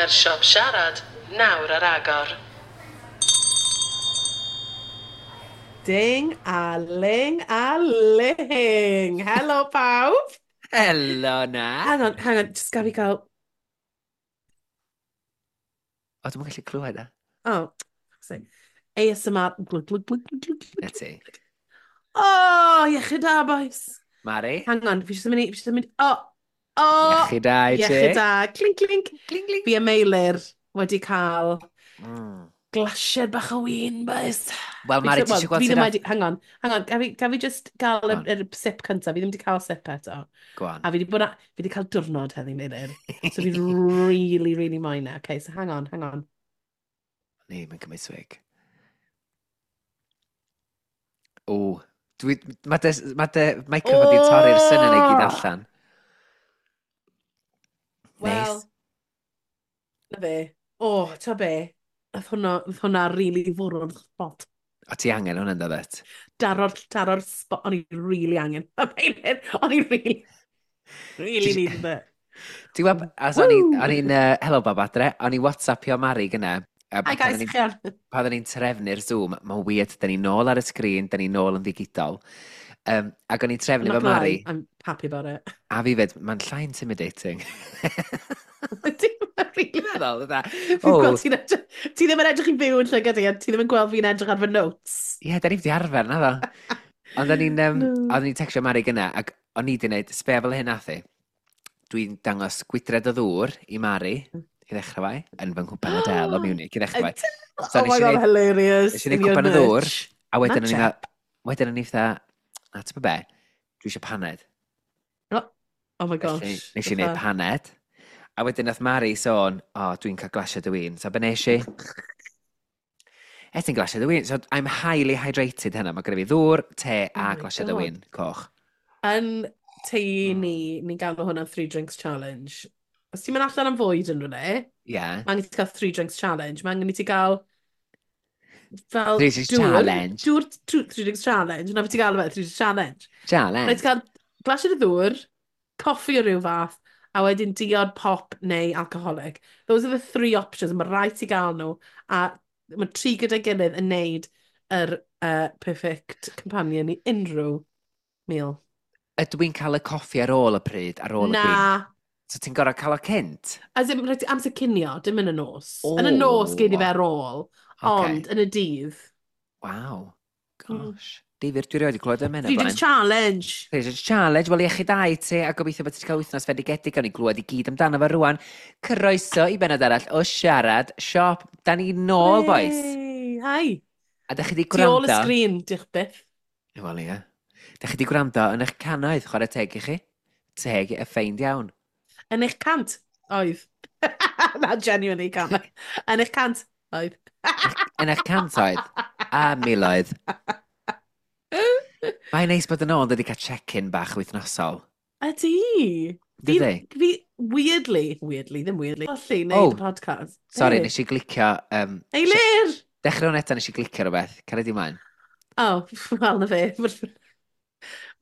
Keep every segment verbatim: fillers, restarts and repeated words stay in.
Mae'r siop siarad nawr ar agor. Ding a ling a ling. Helo pawb. Helo na. Hang on, hang on, just gaf i gael... O, dwi'm yn gallu clywed e. Oh, sorry. A S M R. Glug, glug, glug, glug, glug, glug. Na ti. Oh, iechyd da, boys. Mari? Hang on, fi jyst yn mynd i... Fi jyst yn mynd... Oh, oh. Iechyd da i ti. Iechyd da. Clink, clink. Clink, clink. Fi a Meilir wedi cael mm. glasied bach o win, boys. Wel, Mari, ti eisiau gweld sydd... Wedi... Hang on, hang on, gaf fi, gaf fi just gael y, y sip cyntaf? Fi ddim wedi cael sip eto. Go on. A fi wedi bod a... Fi wedi cael diwrnod heddi, Meilir. So fi really, really moyn e. Okay, so hang on, hang on. Ni, mae'n cymryd swig. O, dwi... Mae dy, ma dy microphone oh! di torri'r syniad i gyd allan. Wel, Neis. Na fe. O, oh, ta be? Nath hwnna, nath hwnna really fwrw'r spot. O, ti angen hwnna'n dod? Daro'r, daro'r spot, o'n i really angen. O'n i really, really needed it. Ti'n gwybod, as o'n i'n, uh, hello bab adre, o'n i WhatsAppio Mari gynna. Hi guys, chi ar. Pan o'n i'n trefnu'r Zoom, mae'n weird, da ni nôl ar y sgrin, da ni nôl yn ddigidol. Um, ac o'n i'n trefnu fo Mari. I'm happy about it. A fi fed, mae'n llai intimidating. Dim really. Meddwl, dda. Oh. Ti'n ti ddim yn edrych i fyw yn llygad i, a ti ddim yn gweld fi'n edrych ar fy notes. Ie, yeah, da ni wedi arfer, na ddo. Ond o'n i'n um, no. o'n i'n textio Mari gynna, ac o'n i wedi gwneud, sbea fel hyn nath i. Dwi'n dangos gwydred o ddŵr i Mari, i ddechrau fai, yn fy nghwpan o del o Munich, i ddechrau fai. So, oh my god, hilarious. Nes i wneud cwpan o ddŵr, a wedyn o'n i'n wedyn o'n i fatha, na ti'n be, dwi eisiau paned. Oh, oh my gosh. Felly, nes i wneud paned. A wedyn nath Mari sôn, o, oh, dwi'n cael glasiad o win. So, be nes i? Es i'n glasiad o win. So, I'm highly hydrated hynna. Mae gyda fi ddŵr, te a oh glasiad o win, coch. Yn tŷ ni, ni'n galw hwnna three drinks challenge. Os ti'n mynd allan am fwyd yn rhywle, yeah. Mae angen i ti gael three drinks challenge. Mae angen i ti gael fel three drinks dŵr, challenge. Dŵr, three drinks challenge. Na fe ti'n gael fe, three drinks challenge. Challenge. Rhaid ti gael glasiad o ddŵr, coffi o ryw fath, a wedyn diod pop neu alcoholic. Those are the three options. Mae rhaid ti gael nhw. A mae tri gyda'i gilydd yn neud yr uh, perfect companion i unrhyw meal. Ydw i'n cael y coffi ar ôl y pryd, ar ôl Na. y gwin? So ti'n gorfod cael o cynt? As in, rhaid ti amser cinio, dim yn y nos. Oh. Yn y nos gei di fe ar ôl, okay. Ond yn y dydd. Waw, gosh. Mm. Difyr, dwi rioed wedi clywed am hynna. Three drinks challenge. Three drinks challenge. Wel, iechyd da i ti, a gobeithio bod ti wedi cael wythnos fendigedig, gawn ni glywed i gyd amdano fo rwan. Croeso i benod arall o Siarad Siop. Da ni nôl, boys. Hi. A da chi wedi gwrando... Tu ôl y sgrin, diolch byth. Wel, ie. Da chi wedi gwrando yn eich cannoedd, chwarae teg i chi. Teg y ffeind iawn. Yn eich cant, oedd. Na, genuinely cant. Yn eich cant, oedd. Yn eich cant oedd. A miloedd. Mae'n neis bod yn ôl, wedi cael check-in bach wythnosol. Ydy. Dydy? Fi, weirdly, weirdly, ddim weirdly, colli wneud oh, y podcast. Sorry, nes i glicio... Um, Eilir! Dechrau hwn eto, nes i glicio rhywbeth. Caria di mlaen. Oh, wel, na fe.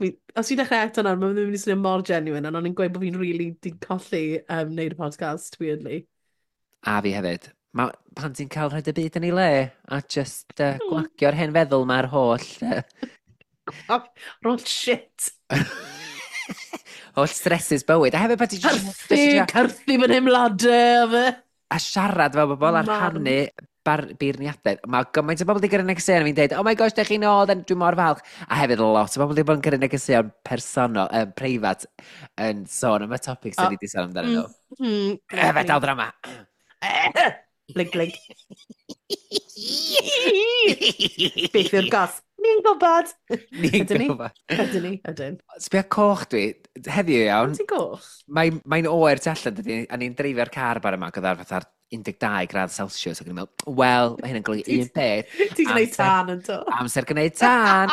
Mi, os fi'n dechrau eto nawr, mae'n mynd i swnio mor genuine, ond o'n i'n gweud bod fi'n really di colli um, wneud y podcast, weirdly. A fi hefyd. Ma, pan ti'n cael rhaid y byd yn ei le, a just uh, gwagio'r hen feddwl mae'r holl... Uh, Roll shit. Holl stresses bywyd. A hefyd pan ti'n... Carthu, carthu fy nheimladau, a fe. A siarad fel bobl ar rhannu bar, beirniadaeth. Mae gymaint o bobl wedi gyrru negeseuon a fi'n deud, oh my gosh, dych chi'n ôl, dwi'n mor falch. A hefyd lot o bobl wedi bod yn gyrru negeseuon personol, um, preifat, yn sôn am y topic sydd wedi sôn amdano nhw. Mm, Efe dal drama. Blink, blink. Beth yw'r gos? Ni'n gwybod. Ni'n gwybod. Ydyn ni, ydyn. Sbia coch dwi, heddiw iawn. Ti'n goch? Mae'n mae oer tu allan, dydy, a ni'n dreifio'r car bar yma, gyda'r fatha'r un deg dau gradd Celsius, ac o'n i'n meddwl, wel, mae hyn yn golygu un peth. Ti'n gwneud tân yn do. Amser gwneud tân.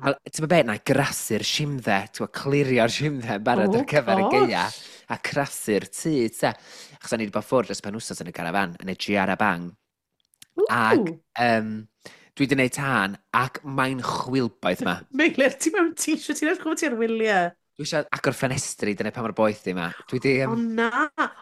Wel, ti'n meddwl beth, na i grasu'r simdde, ti'n meddwl, clirio'r simdde yn barod oh, ar gyfer y gaea, a crasu'r tŷ, te. Achos o'n i wedi bod ffwrdd dros penwsos yn y garafan, yn y Giara Bang. Ac um, dwi wedi gwneud tân, ac mae'n chwilboeth ma. Meilir, ti mewn t-shirt, ti'n edrych fel ti ar wyliau. Dwi eisiau agor ffenestri, dyna pa mor boeth di ma. Dwi di... O Um, na!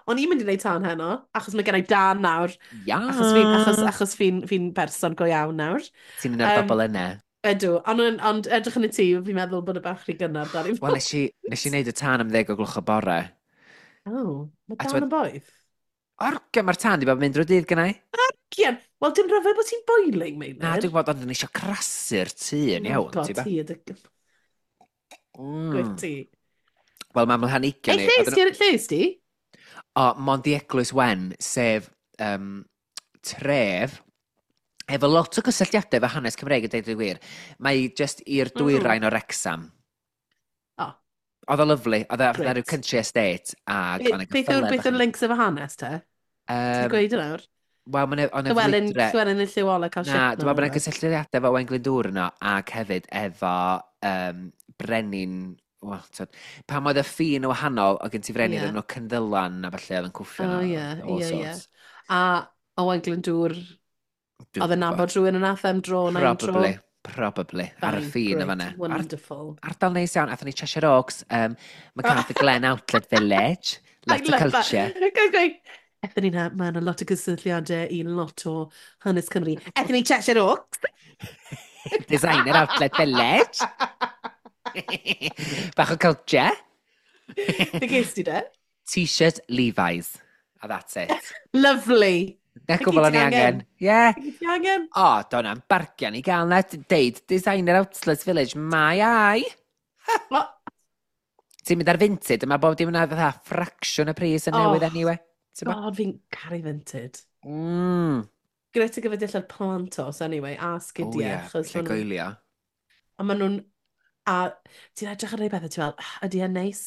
O'n i'n mynd i wneud tân heno, achos mae gen i dân nawr. Ia! Achos fi'n achos, achos fi'n fi berson go iawn nawr. Ti'n un o'r Yym, bobl yna. Ydw, ond, ond edrych yn y tŷ, fi'n meddwl bod y bach rhy gynnar dan i Wel, nes i, nes i wneud y tân am ddeg o gloch o bore. Oh, mae A dan t'mod- yn boeth. Orge, mae'r tân di bod yn mynd drwy dydd gynnau. Cian, wel, dim rhyfedd bod ti'n boiling, Meilir. Na, dwi'n gwybod, ond o'n eisiau crasu'r tŷ yn Oh iawn, God, ti ba? ti ydy Mm. gwych ti. Wel, mae mhlanigion Ei, ni... lle oedden nhw- ys ti? Lle ys ti? O, mond i Eglwys Wen, sef um, tref efo lot o gysylltiadau efo hanes Cymreig yn deud y gwir. Mae just i'r dwyrain o Wrexham. O. Oedd o lyfli. Oedd o fatha Grêt. rhyw country estate. Ag Be- oedd 'na Beth yw'r geffylau beth bach yw'r yn- links efo hanes te? Ti'n Yym, gweud yn awr? Wel, mae'n o'n Llywelyn, ffrwydre. Llywelyn yn Lliw Ola cael Na, shit dwi'n meddwl bod yna gysylltiadau efo Owain Glyndŵr yno, ac hefyd efo um, brenin. Wel, twyd, pam oedd y ffin yn wahanol, oedd gen ti frenin Ie. yeah. nhw Cynddylan a falle oedd yn cwffio O, yno, ie, all ie, ie. sorts. A Owain Glyndŵr, Dwi'n oedd yn gwbod. nabod rhywun yn athem dro na un tro. Probably, probably, ar y Fine, ffin great, yma fan'na. Ar, Wonderful. ardal neis iawn, athon ni Cheshire Oaks, um, MacArthur Glen Outlet Village, I lot of love culture. that. Guys, going, Ethon ni na, mae yna lot o gysylltiadau i lot o hanes Cymru. Ethon ni Cheshire Oaks. Designer Outlet Village. Bach o culture. Be ges ti de? T-shirt Levi's. A that's it. Lovely. Na Be gwbl gyd o'n i ti angen. angen? Ie. Be gyd ti angen? O, do na'n bargian i gael na. Deud, Designer Outlet Village, my eye. O, Ti'n mynd ar Vinted, a mae bob dim yna fatha ffracsiwn y pris yn newydd Oh, anyway. Ti'n bo? God, fi'n caru Vinted. Mm. Grêt ar gyfer dillad plantos, anyway, a O sgidiau. ie, achos lle ma' nhw'n- goelio. A maen nhw'n... A ti'n edrych ar rhai bethau, ti'n fel, "Ah, ydy e'n neis?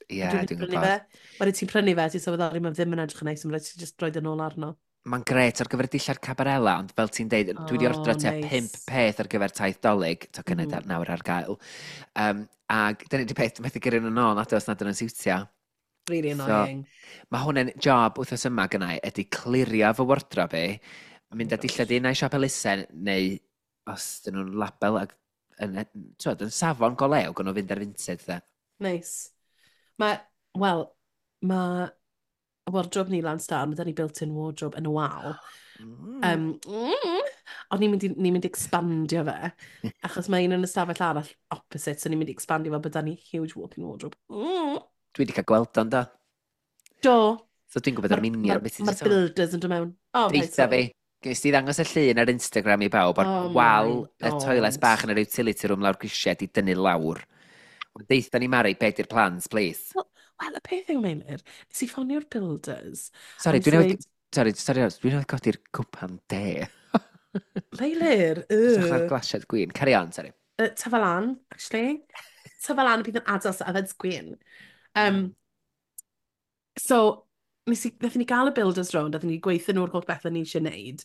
Ie, Ydw i'n mynd i dwi'n prynu gwybod. fe?" Wedyn ti'n prynu fe, ti'n sylweddoli, mae ddim yn edrych yn neis, mae'n rhaid ti just roid yn ôl arno. Mae'n grêt ar gyfer dillad cabarela, ond fel ti'n deud, dwi wedi Oh, ordro tua neis. pump peth ar gyfer taith Dolig, tocynnau Mhm. mm. nawr ar gael. Um, ac dyna di peth, methu gyrru nhw nôl, nad oes nad yn siwtio. Really So, annoying. Mae hwn yn job wythnos yma gynnau, ydy clirio fy wardrobe i, mynd â Oh dillad gosh. un ai siop elusen, neu os dyn nhw'n label ag, yn, twod, yn safon go lew, gwn nhw fynd ar Vinted, de. Nice. Mae, wel, mae wardrobe ni lan star, mae da ni built-in wardrobe yn y wal. Mm. Um, mm, ond ni'n mynd i, ni'n mynd i expandio fe, achos mae un yn y stafell arall opposite, so ni'n mynd i expandio fe, bod da ni huge walk-in wardrobe. Mm. Dwi wedi cael gweld o'n do. Do. So dwi'n gwybod ar minion beth Mae'r ti'n sôn. builders yn dod mewn. Oh, paid Deitha sôn. fi, Nes ti ddangos y llun ar Instagram i bawb, o'r Oh wal my y toilet God. bach yn yr utility room lawr grisiau di dynnu lawr. Ond Deitha ni Mari, be di'r plans, please? Wel, y peth yw, Meilir, nes i ffonio'r builders. Sorry, a nes dwi'n i newydd... weud, Sorry, sorry, dwi'n newydd godi'r cwpan de. Meilir, Edrych ar yy. glasiad gwin. Carry on, sorry. Uh, tyfa lan, actually. Tyfa lan bydd yn adals yfed gwin. Um, so, nes i, nathon ni gael y builders round, nathon ni gweithio nhw'r holl bethau ni eisiau neud.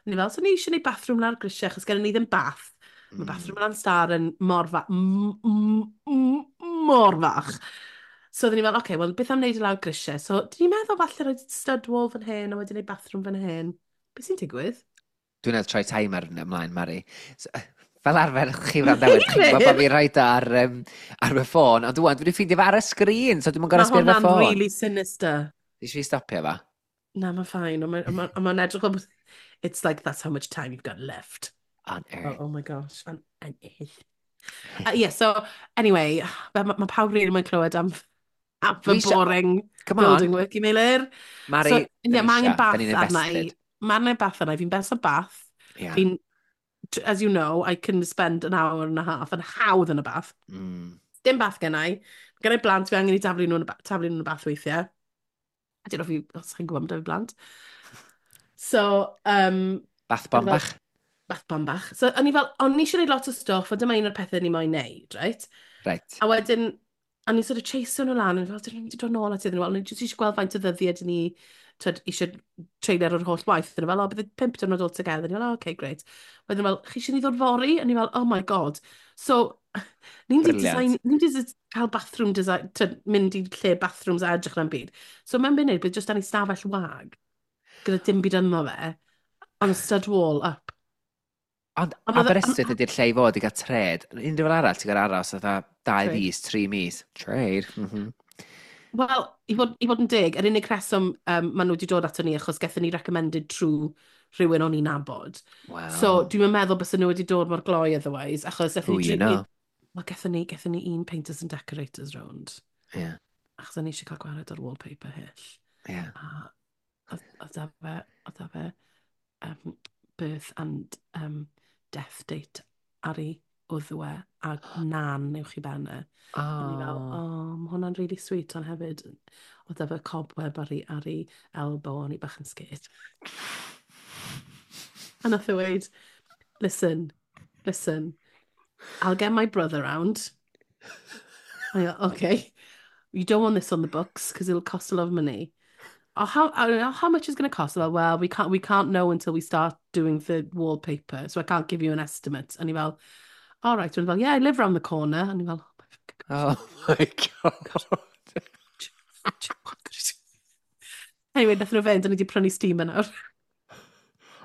Ni fel, so ni eisiau neud bathroom lawr grisiau, achos gennym ni ddim bath. Mae Mm. bathroom lan star yn mor fach, mor fach. So oedden ni fel, oce, okay, wel, beth am wneud i lawr grisiau? So, dyn ni'n meddwl falle rhoi stud wall fan hyn, a wedyn neud bathroom fan hyn. Beth sy'n digwydd? Dwi'n newydd troi timer yn ymlaen, Mari. So, fel arfer, chi wrandawyr, chi'n gwybod bod fi'n rhaid ar, um, ar fy ffôn, ond dwi'n dwi wedi ffeindio fe ar y sgrin, so dwi'n Mae gorau sbio ar fy hwnna'n ffôn. really sinister. Ti eisiau fi stopio fa? Na, mae'n fine. Ond mae'n ma, ma edrych fel... bod- It's like, that's how much time you've got left. On Oh, earth. oh my gosh. On, on earth. Uh, yeah, so, anyway, mae ma pawb rili moyn clywed am, am fy Dwi isio- boring Come on, building work i Meilir. Mari, So, da yeah, ni mae angen isio, bath da ni'n arna i. invested. Mae angen bath arna i. Fi'n best o bath. Yeah. Fi'n, as you know, I can spend an hour and a half yn hawdd yn y bath. Mm. Dim bath gen i. Gen i blant, fi angen i daflu nhw yn y, ba- taflu nhw yn y bath weithiau. I don't know if you, os chi'n gwybod amdano blant. So, um, Bath bomb Fel- bach. bath bomb bach. So, o'n i fel, o'n i eisiau gwneud lot o stwff, a dyma un o'r pethau ni moyn neud, right? Right. A wedyn, o'n i'n sort of chaseo nhw lan, o'n i fel, dyn nhw'n mynd i dod nôl at iddyn nhw, o'n i jyst eisiau gweld faint o ddyddiau dyn ni, twyd, eisiau treulio ar holl waith. Dyn nhw fel, o, bydd y pump diwrnod all together. O'n i fel, oh, okay, great. Wedyn fel, chi eisiau ni ddod fory? O'n i fel, oh my God. So, ni'n di Brilliant. design, ni'n di cael bathroom design, twyd, mynd i lle bathrooms a edrych na'n byd. So, mewn munud, bydd jyst dan ni stafell wag, gyda dim byd ynddo fe, ond stud wall up. Ond Ond oedd- Aberystwyth ydy'r lle i fod i gael trade. Unrhyw fel arall, ti'n gael aros fatha dau Trade. fis, tri mis. Trade. Mm -hmm. Wel, i fod, i fod yn deg, yr unig reswm um, maen nhw wedi dod ato ni achos gaethon ni recommended trwy rhywun o'n i'n nabod. Wow. So, dwi'n meddwl bys nhw wedi dod mor gloi otherwise, achos gaethon Who ni... you tri- know. Wel, gaethon ni, gaethon ni un painters and decorators round. Yeah, Achos o'n i eisiau cael gwared o'r wallpaper hyll. yeah. A oedd oedd da fe, oedd da fe um, birth and um, death date ar ei wddw e a nan uwch i ben e. O'n i fel, Oh. oh, mae hwnna'n really sweet, ond hefyd, oedd efo cobweb ar ei, ar ei elbow, o'n i bach yn scared. A nath e weud, "Listen, listen, I'll get my brother round." I go, "Okay. You don't want this on the books because it'll cost a lot of money." "Oh, how, uh, how much is it going to cost?" "Well, well, we can't, we can't know until we start doing the wallpaper, so I can't give you an estimate." And he fel, "All right." And he fel, "Yeah, I live round the corner." And he fel, "Oh my fucking Oh my God. God." Anyway, nath nhw fynd, a ni wedi prynu steamer nawr.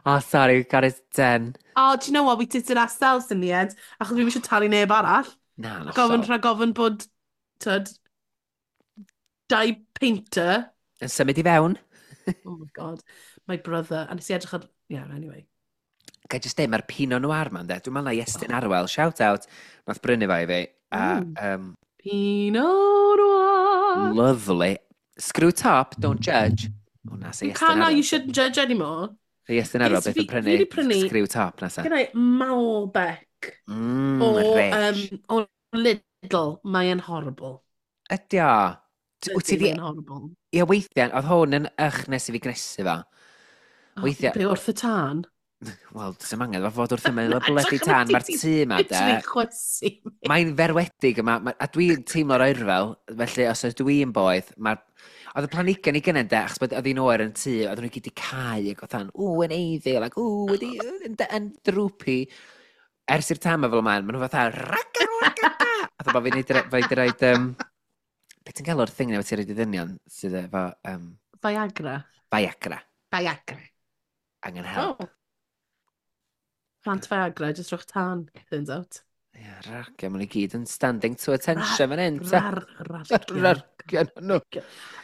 Oh, sorry, we got it done. Oh, do you know what? We did it ourselves in the end. Achos fi eisiau talu neb arall. Na, na. Gofyn rhag ofyn bod, tyd, dau painter. Yn symud i fewn. Oh my God. My brother. A nes i edrych ar... Yeah, anyway. Ga i just deud, mae'r Pinot Noir ma'n de. Dwi'n meddwl na Iestyn Arwel, shout out, nath brynu fo i fi. A, Mm. um, Pinot Noir. Lovely. Screw top, don't judge. O, na, se You Iestyn can't now, Arwel. you shouldn't judge anymore. Se Iestyn Arwel Yes, beth fi- yn fi wedi prynu prynu- screw top nesa. Gyda i Malbec Mm, o, rich. um, o Lidl. Mae'n horrible. Ydy o. T- Wyt ti Ydy, di... mae'n horrible. Ie, weithiau, oedd hwn yn ych nes i fi gnesu fo. Oh, Weithiau- be wrth y tân? Wel, does dim angen fo fod wrth ymyl y Na, bloody edrych tân, ar mae'r ti- tŷ yma, de. Literally chwysu. Mae'n ferwedig yma, ma, a dwi'n teimlo'r oerfel, felly os ydw i'n boeth, mae'r... Oedd y planhigion i gynnau, de, achos bod oedd hi'n oer yn tŷ, oedden nhw gyd i cau, ac oedd ww, yn eiddil, ac ww, wedi, yn, yn droopy. Ers i'r tam fel yma, maen nhw fatha, raga, raga, a bod fi'n neud, fi wedi roed, um, beth ti'n galw'r thing na ti'n roed i ddynion sydd efo um, Viagra. Viagra, Viagra. Angen help. Oh. Plant Viagra, just rhowch tân, turns out. Ie, yeah, ragia, maen nhw i gyd yn standing to attention fan hyn, ta. Rar, rargia. Rargia nhw.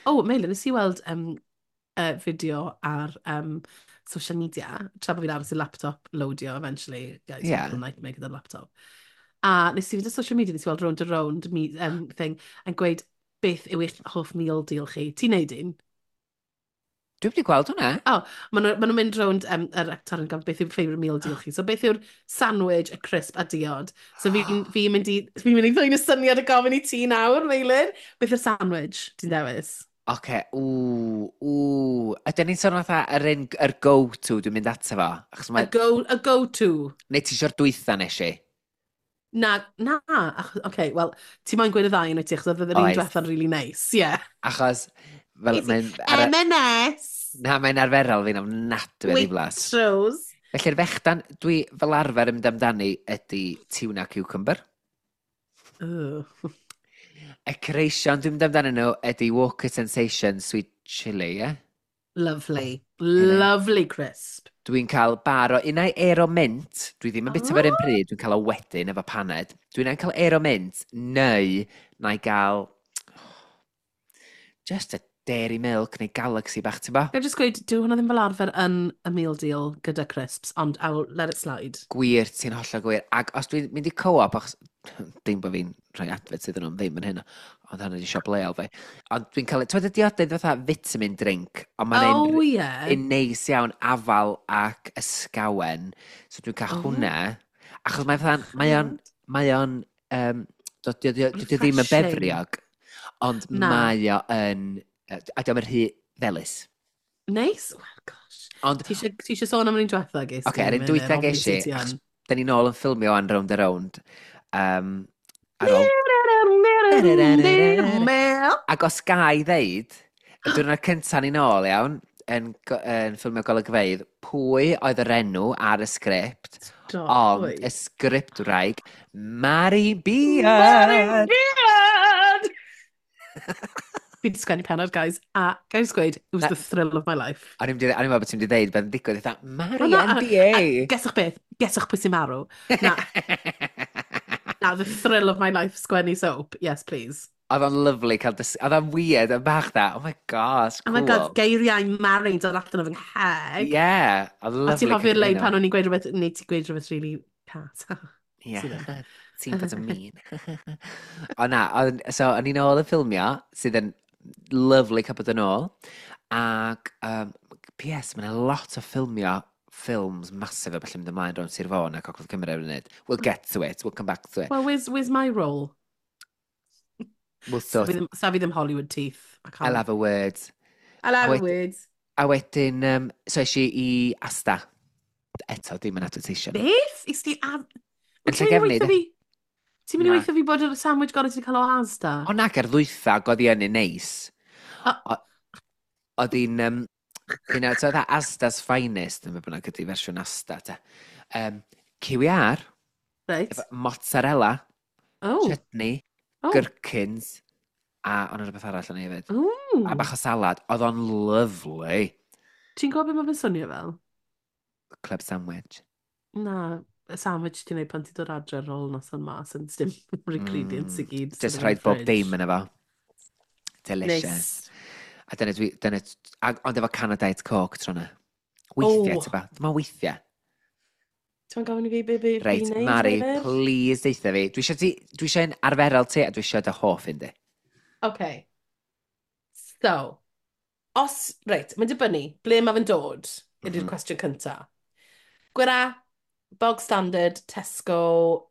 Oh, Meilir, nes i weld um, uh, fideo ar um, social media, tra bod fi'n aros i laptop loadio eventually. Guys, Yeah. yeah. Nightmare gyda'r laptop. A nes i fynd ar social media, nes i weld Rownd a Rownd me, um, thing, yn gweud beth yw eich hoff meal deal chi. Ti'n neud un? Dwi wedi gweld hwnna. Oh, maen nhw- maen nhw'n mynd rownd um, yr actor yn gofyn beth yw'r favourite meal deal chi. So beth yw'r sandwich, y crisp a diod? So fi'n fi mynd i, fi'n mynd i ddwyn y syniad y gofyn i ti nawr, Meilir. Beth yw'r sandwich ti'n dewis? Oce, ww, ww. Ydyn ni'n sôn fatha yr un, yr go-to dwi'n mynd ato fo? Achos A mae... go, a go-to. Neu ti eisiau'r dwytha nes i? Na, na. Oce, okay, wel, ti moyn gweud y ddau yn wyt ti, achos oedd yr un Oes. diwetha'n really nice, yeah. Achos, fel, mae'n... ar- M and S! Na, mae'n arferol fi'n ofnadwy o ddiflas. Waitrose. Felly'r fechdan, dwi fel arfer yn mynd amdani ydy tuna cucumber. Ugh. Y creision dwi'n mynd amdano nhw ydy Walker Sensation Sweet Chili, ie? Yeah? Lovely. Lovely crisp. Dwi'n cael bar o unai Aero Mint, dwi ddim yn bita fo'r un Oh. pryd, dwi'n cael o wedyn efo paned. Dwi'n cael Aero Mint, neu na i gael just a Dairy Milk neu Galaxy bach, ti'n bo? Ga i just gweud, dyw hwnna ddim fel arfer yn y meal deal gyda crisps, ond I'll let it slide. Gwir, ti'n hollol gwir. Ac os dwi'n mynd i Co-op, achos dim bod fi'n rhoi advert iddyn nhw ddim yn hynna, ond hynny di siop leol fi. Ond dwi'n cael, ti'n y diodydd fatha vitamin drink, ond mae'n Oh, un, yeah. un neis iawn, afal ac ysgawen. So dwi'n cael Oh. hwnna. Achos mae fatha, mae o'n, mae o'n, um, dydy o ddim yn Refreshing. befriog, ond Na. mae o yn, yy, a diolch yn rhy felys. Nice. Well, gosh. Ond, Ti eisiau ti eisiau sôn am yr un diwetha, ges Oce, yr un dwytha ges i, achos da ni nôl yn ffilmio an Rownd a Rownd. Um, ar ôl Ac os ga i ddeud, y diwrnod cyntaf ni nôl, iawn, yn, go- yn ffilmio golygfeydd, pwy oedd yr enw ar y sgript, ond y sgriptwraig, Mari Mari Beard! Beard! Fi Fi wedi sgwennu pennod, guys. A gael gweud, it was Na- the thrill of my life. O'n i'n meddwl bod ti'n mynd i ddeud beth yn digwydd, eitha, Mari O, na, a- N B A! A geswch beth? Geswch pwy sy'n marw? Na, na, the thrill of my life sgwennu soap. Yes, please. Oedd o'n lovely cael dys... Oedd o'n weird, yn bach da. Oh my gosh, Oh cool. my God, geiriau Mari'n dod allan o fy ngheg. Yeah, oedd A lovely. ti'n hoffi'r cael lein nhw. pan o'n i'n gweud rhywbeth, neu ti'n gweud rhywbeth really cat. Ie, Ti ddim. ti'n bod yn mean. O na, oedd- so o'n i'n ôl yn ffilmio, sydd yn lovely cael bod yn ôl. Ac, um, P S, mae'n lot o ffilmio ffilms massive a felly mynd ymlaen rownd Sir Fôn a Gogledd Cymru ar y funud. We'll get to it, we'll come back to it. Well, where's, where's my role? We'll Sa sort fi ddim, sa fi ddim Hollywood teeth. I can't. I'll have a word. I'll have A a wed- word. A wedyn, um, so es i i Asda. Eto, dim yn advertisio. Beth? Is ti a... Yn Ti'n mynd i Llangefni, weithio de? fi? Ti'n mynd i Na. weithio fi bod yr sandwich gorau ti'n cael o Asda? O nag, ar ddwytha, oedd hi yn un neis. O- O- Oedd hi'n, um, you know, so oedd Asda's Finest, yn bynnag ydy fersiwn Asda, te. Um, Q R, Reit. efo mozzarella, Oh. chutney, Oh. gherkins, a ond rhywbeth arall yn ei hefyd. Ooh. A bach o salad. Oedd o'n lovely. Ti'n gwybod beth mae fe'n swnio fel? Club sandwich. Na, y sandwich ti'n neud pan ti'n dod adre ar ôl noson mas yn dim yr ingredients i gyd sydd Just yn y rhaid bob fridge. dim yn efo. Delicious. Nice. A dyna dwi, dyna, a, ond efo can o Diet Coke tro na. Weithiau, Oh. oh. Tyba. Dyma weithiau. Ti'n gofyn i fi be be Reit, fi'n neud, Mari, Meilir? please deutha fi. Dwi eisiau ti, dwi eisiau un arferol ti a dwi eisiau dy hoff un di. Okay. So, os, reit, mae'n dibynnu, ble mae fe'n dod, ydy'r Mhm. cwestiwn cynta. Gwera, bog standard, Tesco,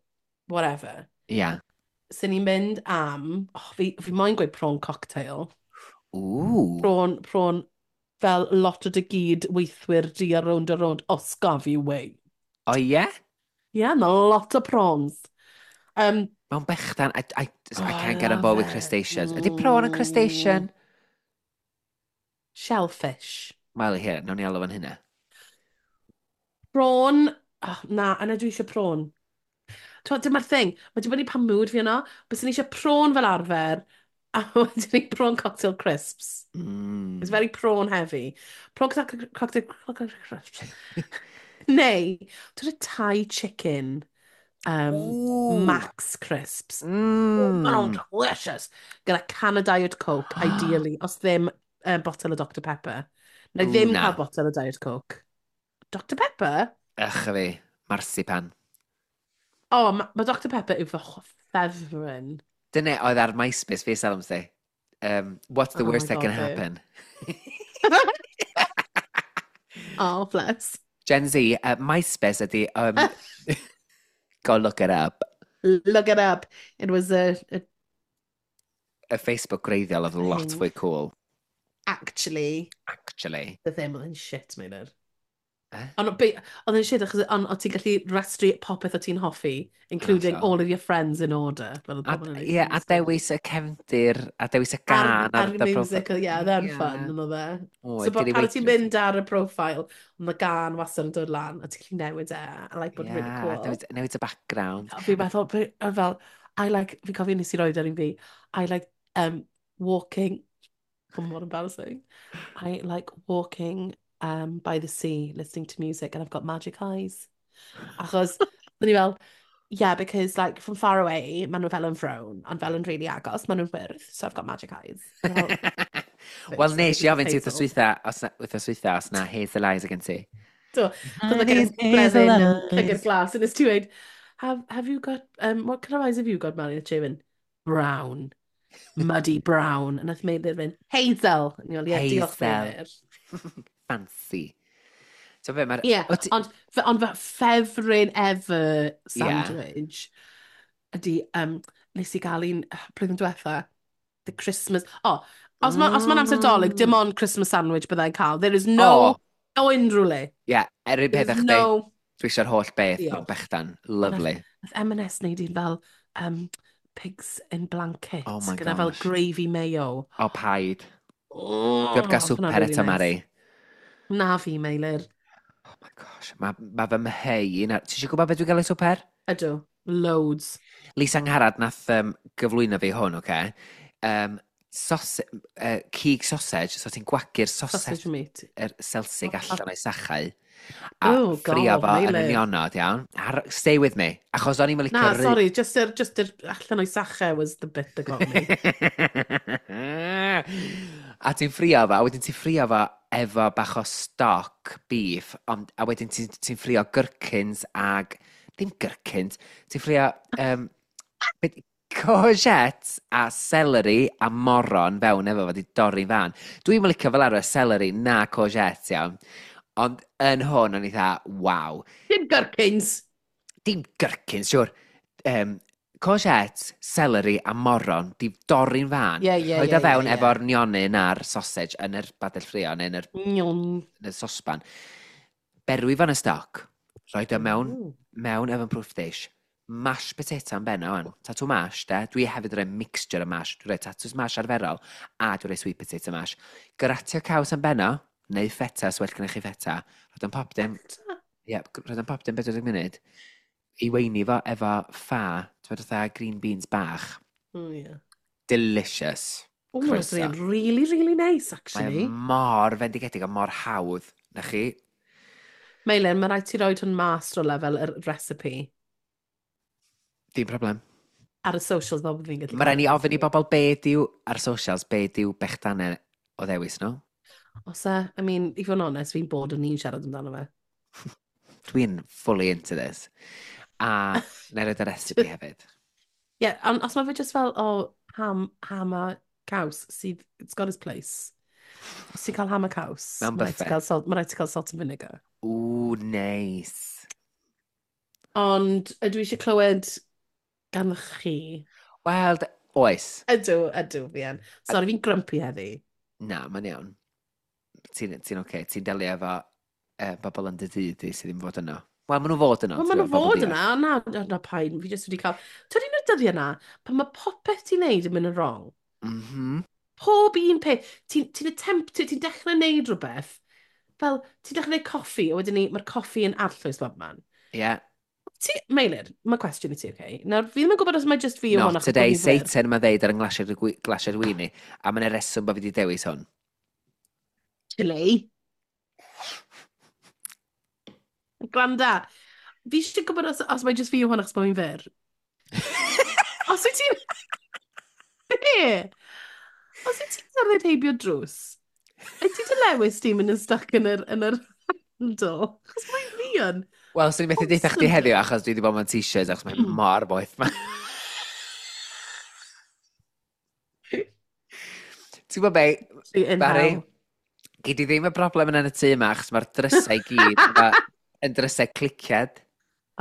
whatever. Ia. Sy'n ni'n mynd am, oh, fi, fi moyn gweud prawn cocktail. Ooh. Prawn, prawn, fel lot o dy gyd weithwyr di ar rownd a rownd, os gaf i wei. O ie? Yeah, mae lot o prawns. Um, Mewn bechdan, I, I, Oh, I I can't get on love board with it. crustaceans. Ydy prawn yn crustacean? Shellfish. Wel, here, nawn ni alw fan hynna. Prawn, oh, na, yna dwi eisiau prawn. T'wod, dyma'r thing, mae dibynnu pa mood fi yno, bys ni eisiau prawn fel arfer, a wedyn ni prawn cocktail crisps. Mm. It's very prawn heavy. Prawn cocktail, cocktail, cocktail crisps. Neu, dwi'n y Thai chicken um, Ooh. Max crisps. Mm. Maen nhw'n delicious. Gyda can o Diet Coke, ideally, os ddim uh, botel o Doctor Pepper. Neu Ww, ddim na. cael botel o Diet Coke. Doctor Pepper? Ych a fi, marzipan. O, oh, mae ma Doctor Pepper yw fy ffefryn. Dyna oedd ar MySpace fi, Salom say. Um, what's the Oh worst my that can God, babe. happen? Oh, bless. Gen Z, uh, MySpace ydy... Um, go look it up. Look it up. It was a, a Y Facebook gwreiddiol oedd lot Thing. fwy cool, actually, actually. the ddim oedd yn shit, Meilir. Eh? Ond be- oedd yn shit achos ond o ti'n gallu restru popeth o ti'n hoffi, including Hollol. all of your friends in order. Fel oedd A, pobl yn ie, a dewis y cefndir, a dewis y gân Ar, ar dy music, ie, oedd e'n Ie. fun, yn oedd e. Oedd, So gei di pan ti'n weithio. mynd ar y profile, ond y gân wastad yn dod lan, a ti'n gallu newid e, a like bod Ie, really a cool. newid, newid y background. A fi'n meddwl, fi- a fel, I like, fi'n cofio nes i roed ar un fi, I like um, walking, oh, what embarrassing. I like walking um, by the sea, listening to music, and I've got magic eyes. Achos, o'n i fel, yeah, because like from far away, maen nhw fel yn frown, ond fel yn really agos, maen nhw'n wyrdd, so I've got magic eyes. A fel, Wel, nes i ofyn ti Hazel. wythnos dwytha, os na, wythnos dwytha, os na hazel eyes gen ti. Do, Cos mae gen Bleddyn yn llygad glas, and it's ti weud, have, have you got, um, what kind of eyes have you got, Mary? A ti'n mynd, brown, muddy brown. And nath Meilir fynd, hazel. And you're like, yeah, diolch Hazel. Meilir. Fancy. So be, mae'r... Ie, Wyt ti- ond, fe- ond fy ffefryn ever sandwich ydy, um, nes i gael un uh, blwyddyn diwetha, the Christmas, oh, os ma, os ma'n amser Dolig, dim ond Christmas sandwich byddai'n cael. There is no, O, no unrhyw le. ie, er un There peth is â chdi, no... dwi eisiau'r holl beth Diolch. mewn bechdan. Lovely. Nath M and S wneud un fel um, pigs in blankets. Oh my gyda fel gosh. gravy mayo. O, paid. Oh, Dwi heb gael oedd hwnna'n swper really eto, nice. Mari. Na fi, Meilir. Oh my gosh, mae ma fy mhei i na... Ti eisiau gwybod beth dwi'n gael ei swper? Ydw. Loads. Lisa Angharad nath um, gyflwyno fi hwn, oce? Um, Sos, uh, cig sausage, so ti'n gwagu'r sausage, Sausage meat. yr selsig allan o'i sachau. A Oh, ffrio God, fo yn Meilir. nionod, iawn. Ar, stay with me, achos o'n i'n licio... Na, sorry, just yr, just yr allan o'i sachau was the bit that got me. A ti'n ffrio fo, a wedyn ti'n ffrio fo efo bach o stock beef, ond, a wedyn ti'n ti ffrio gherkins ag... Dim gherkins, ti'n ffrio um, be- courgette a celery a moron fewn efo fo di dorri'n fan. Dwi'n licio fel arfer celery na courgette, iawn. Ond yn hwn, o'n i dda, waw. Dim gherkins. Dim gherkins, siwr. Um, courgette, celery a moron di dorri'n fan. Ie, ie, Rhoid ie, o fewn ie, ie. efo'r nionyn a'r sausage yn yr badell ffrio neu yn yr, Nion. yn y sosban. Berwi fo'n y stoc. Rhoid o mewn, Ooh. mewn oven proof dish. Mashed potato am ben o wan. Tatw mash, de. Dwi hefyd yn rhoi mixture o mash. Dwi'n rhoi tatws mash arferol a dwi'n rhoi sweet potato mash. Gratio caws am ben o, neu feta, os well gennych chi feta. Rhoid o'n pop dim, ie, rhoid o'n pop dim pedwar deg munud. I weini fo efo ffa, ti'n meddwl fatha green beans bach. Oh, yeah. Delicious. Oh, mae'n Croeso. swnio'n really, really nice, Mae actually. o mor fendigedig a mor hawdd, na chi? Meilir, mae rhaid ti roed hwn mas o lefel yr recipe Dim problem. ar y socials fel bod fi'n gallu Mae rhaid ni cael ofyn i bobl be diw ar socials, be diw bechdanau o ddewis nhw. Os e, I mean, i fod yn onest, fi'n bod yn ni'n siarad amdano fe. Dwi'n fully into this. A na i roed y recipe hefyd. Ie, yeah, ond os mae fe just fel, o, ham, ham a caws, sydd, it's got its place. Os ti'n cael ham a caws, Mewn ma' raid ti buffet. cael salt, ma' raid ti cael salt and vinegar. Ooh, nice. Ond ydw i eisiau clywed gan chi? Wel, d- oes. Ydw, ydw, fi yn. Sorry, fi'n grumpy heddi. Na, mae'n iawn. Ti'n ti oce, okay. Ti'n delio efo uh, bobl yn dy dŷ di sydd ddim fod yno. Wel, maen nhw fod yno. Wel, maen nhw fod yna, na, na, na paid, fi jyst wedi cael... Ti'n un o'r dyddiau yna, pan mae popeth ti'n neud yn mynd yn wrong. Mm -hmm. Pob un peth, ti'n ti attempt, ti'n dechrau neud rhywbeth, fel, ti'n dechrau neud coffi, a wedyn ni, mae'r coffi yn arllwys bob man. Yeah. Ti, Meilir, mae cwestiwn i ti, oce? Nawr, fi ddim yn gwybod os mae just fi yw hwn Not achos bod today, fi'n fyr. Satan mae ddeud ar yng nglasiad y glasiad wini. A mae'n reswm bod fi wedi dewis hwn. Chili. Glanda, fi eisiau gwybod os, os mae just fi yw hwn achos bod fi'n fyr. Os wyt ti'n... Be? Os wyt ti'n cerdded heibio drws, wyt ti dy lewis ti'n mynd yn stuck yn yr, yn yr handle? Achos mae'n fi yn. Wel, swn i'n methu deutha chdi heddiw achos dwi wedi bod mewn t-shirt achos mae'n mor boeth ma. Ti'n gwybod be, In Barry, hell. gei di ddim y broblem yna yn y tŷ yma achos mae'r drysau i gyd efo- yn drysau cliciad.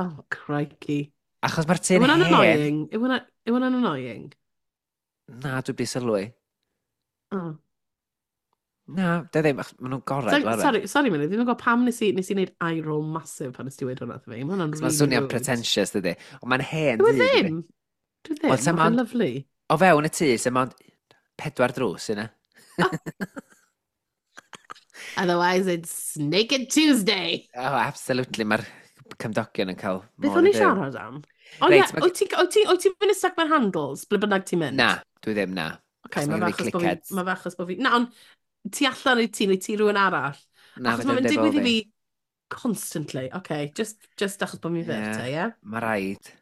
Oh, crikey. Achos mae'r Yw tŷ'n hwnna'n hen. annoying? Yw hwnna- yw hwnna'n annoying? Na, dwi wedi sylwi. Oh. Na, de ddim, achos maen nhw'n gorau, Sorry, dwi'n arfer. sorry, sorry Meilir, ddim yn gwybod pam nes i, nes i wneud eye roll massive pan nes ti weud hwnna wrtho fi. Mae hwnna'n Mae'n really swnio'n rude. pretentious, dydy. Ond mae'n hen Dwi dŷ, dydi? ddim. Dwi ddim. Wel, sa Mae'n mond- lovely. O fewn y tŷ, sy'n mond pedwar drws yna. Otherwise, it's Naked Tuesday. Oh, absolutely. Mae'r cymdogion yn cael Beth modd o'n i i fyw. siarad am? O ie, Reit, ma' wyt ti'n wyt ti, wyt ti'n mynd yn stuck mewn handles, ble bynnag ti'n mynd? Na, dwi ddim, na. Okay, Achos mae ma' fe gynna fi achos bod fi... clickheads. Mae fe achos bod fi... Na, ond ti allan i ti, neu ti rhywun arall. Na, Achos fedra mae'n i'm deud bo digwydd i fi. fi constantly. Okay, just, just achos bod fi'n fyr Ie. te, ie? Mae rhaid.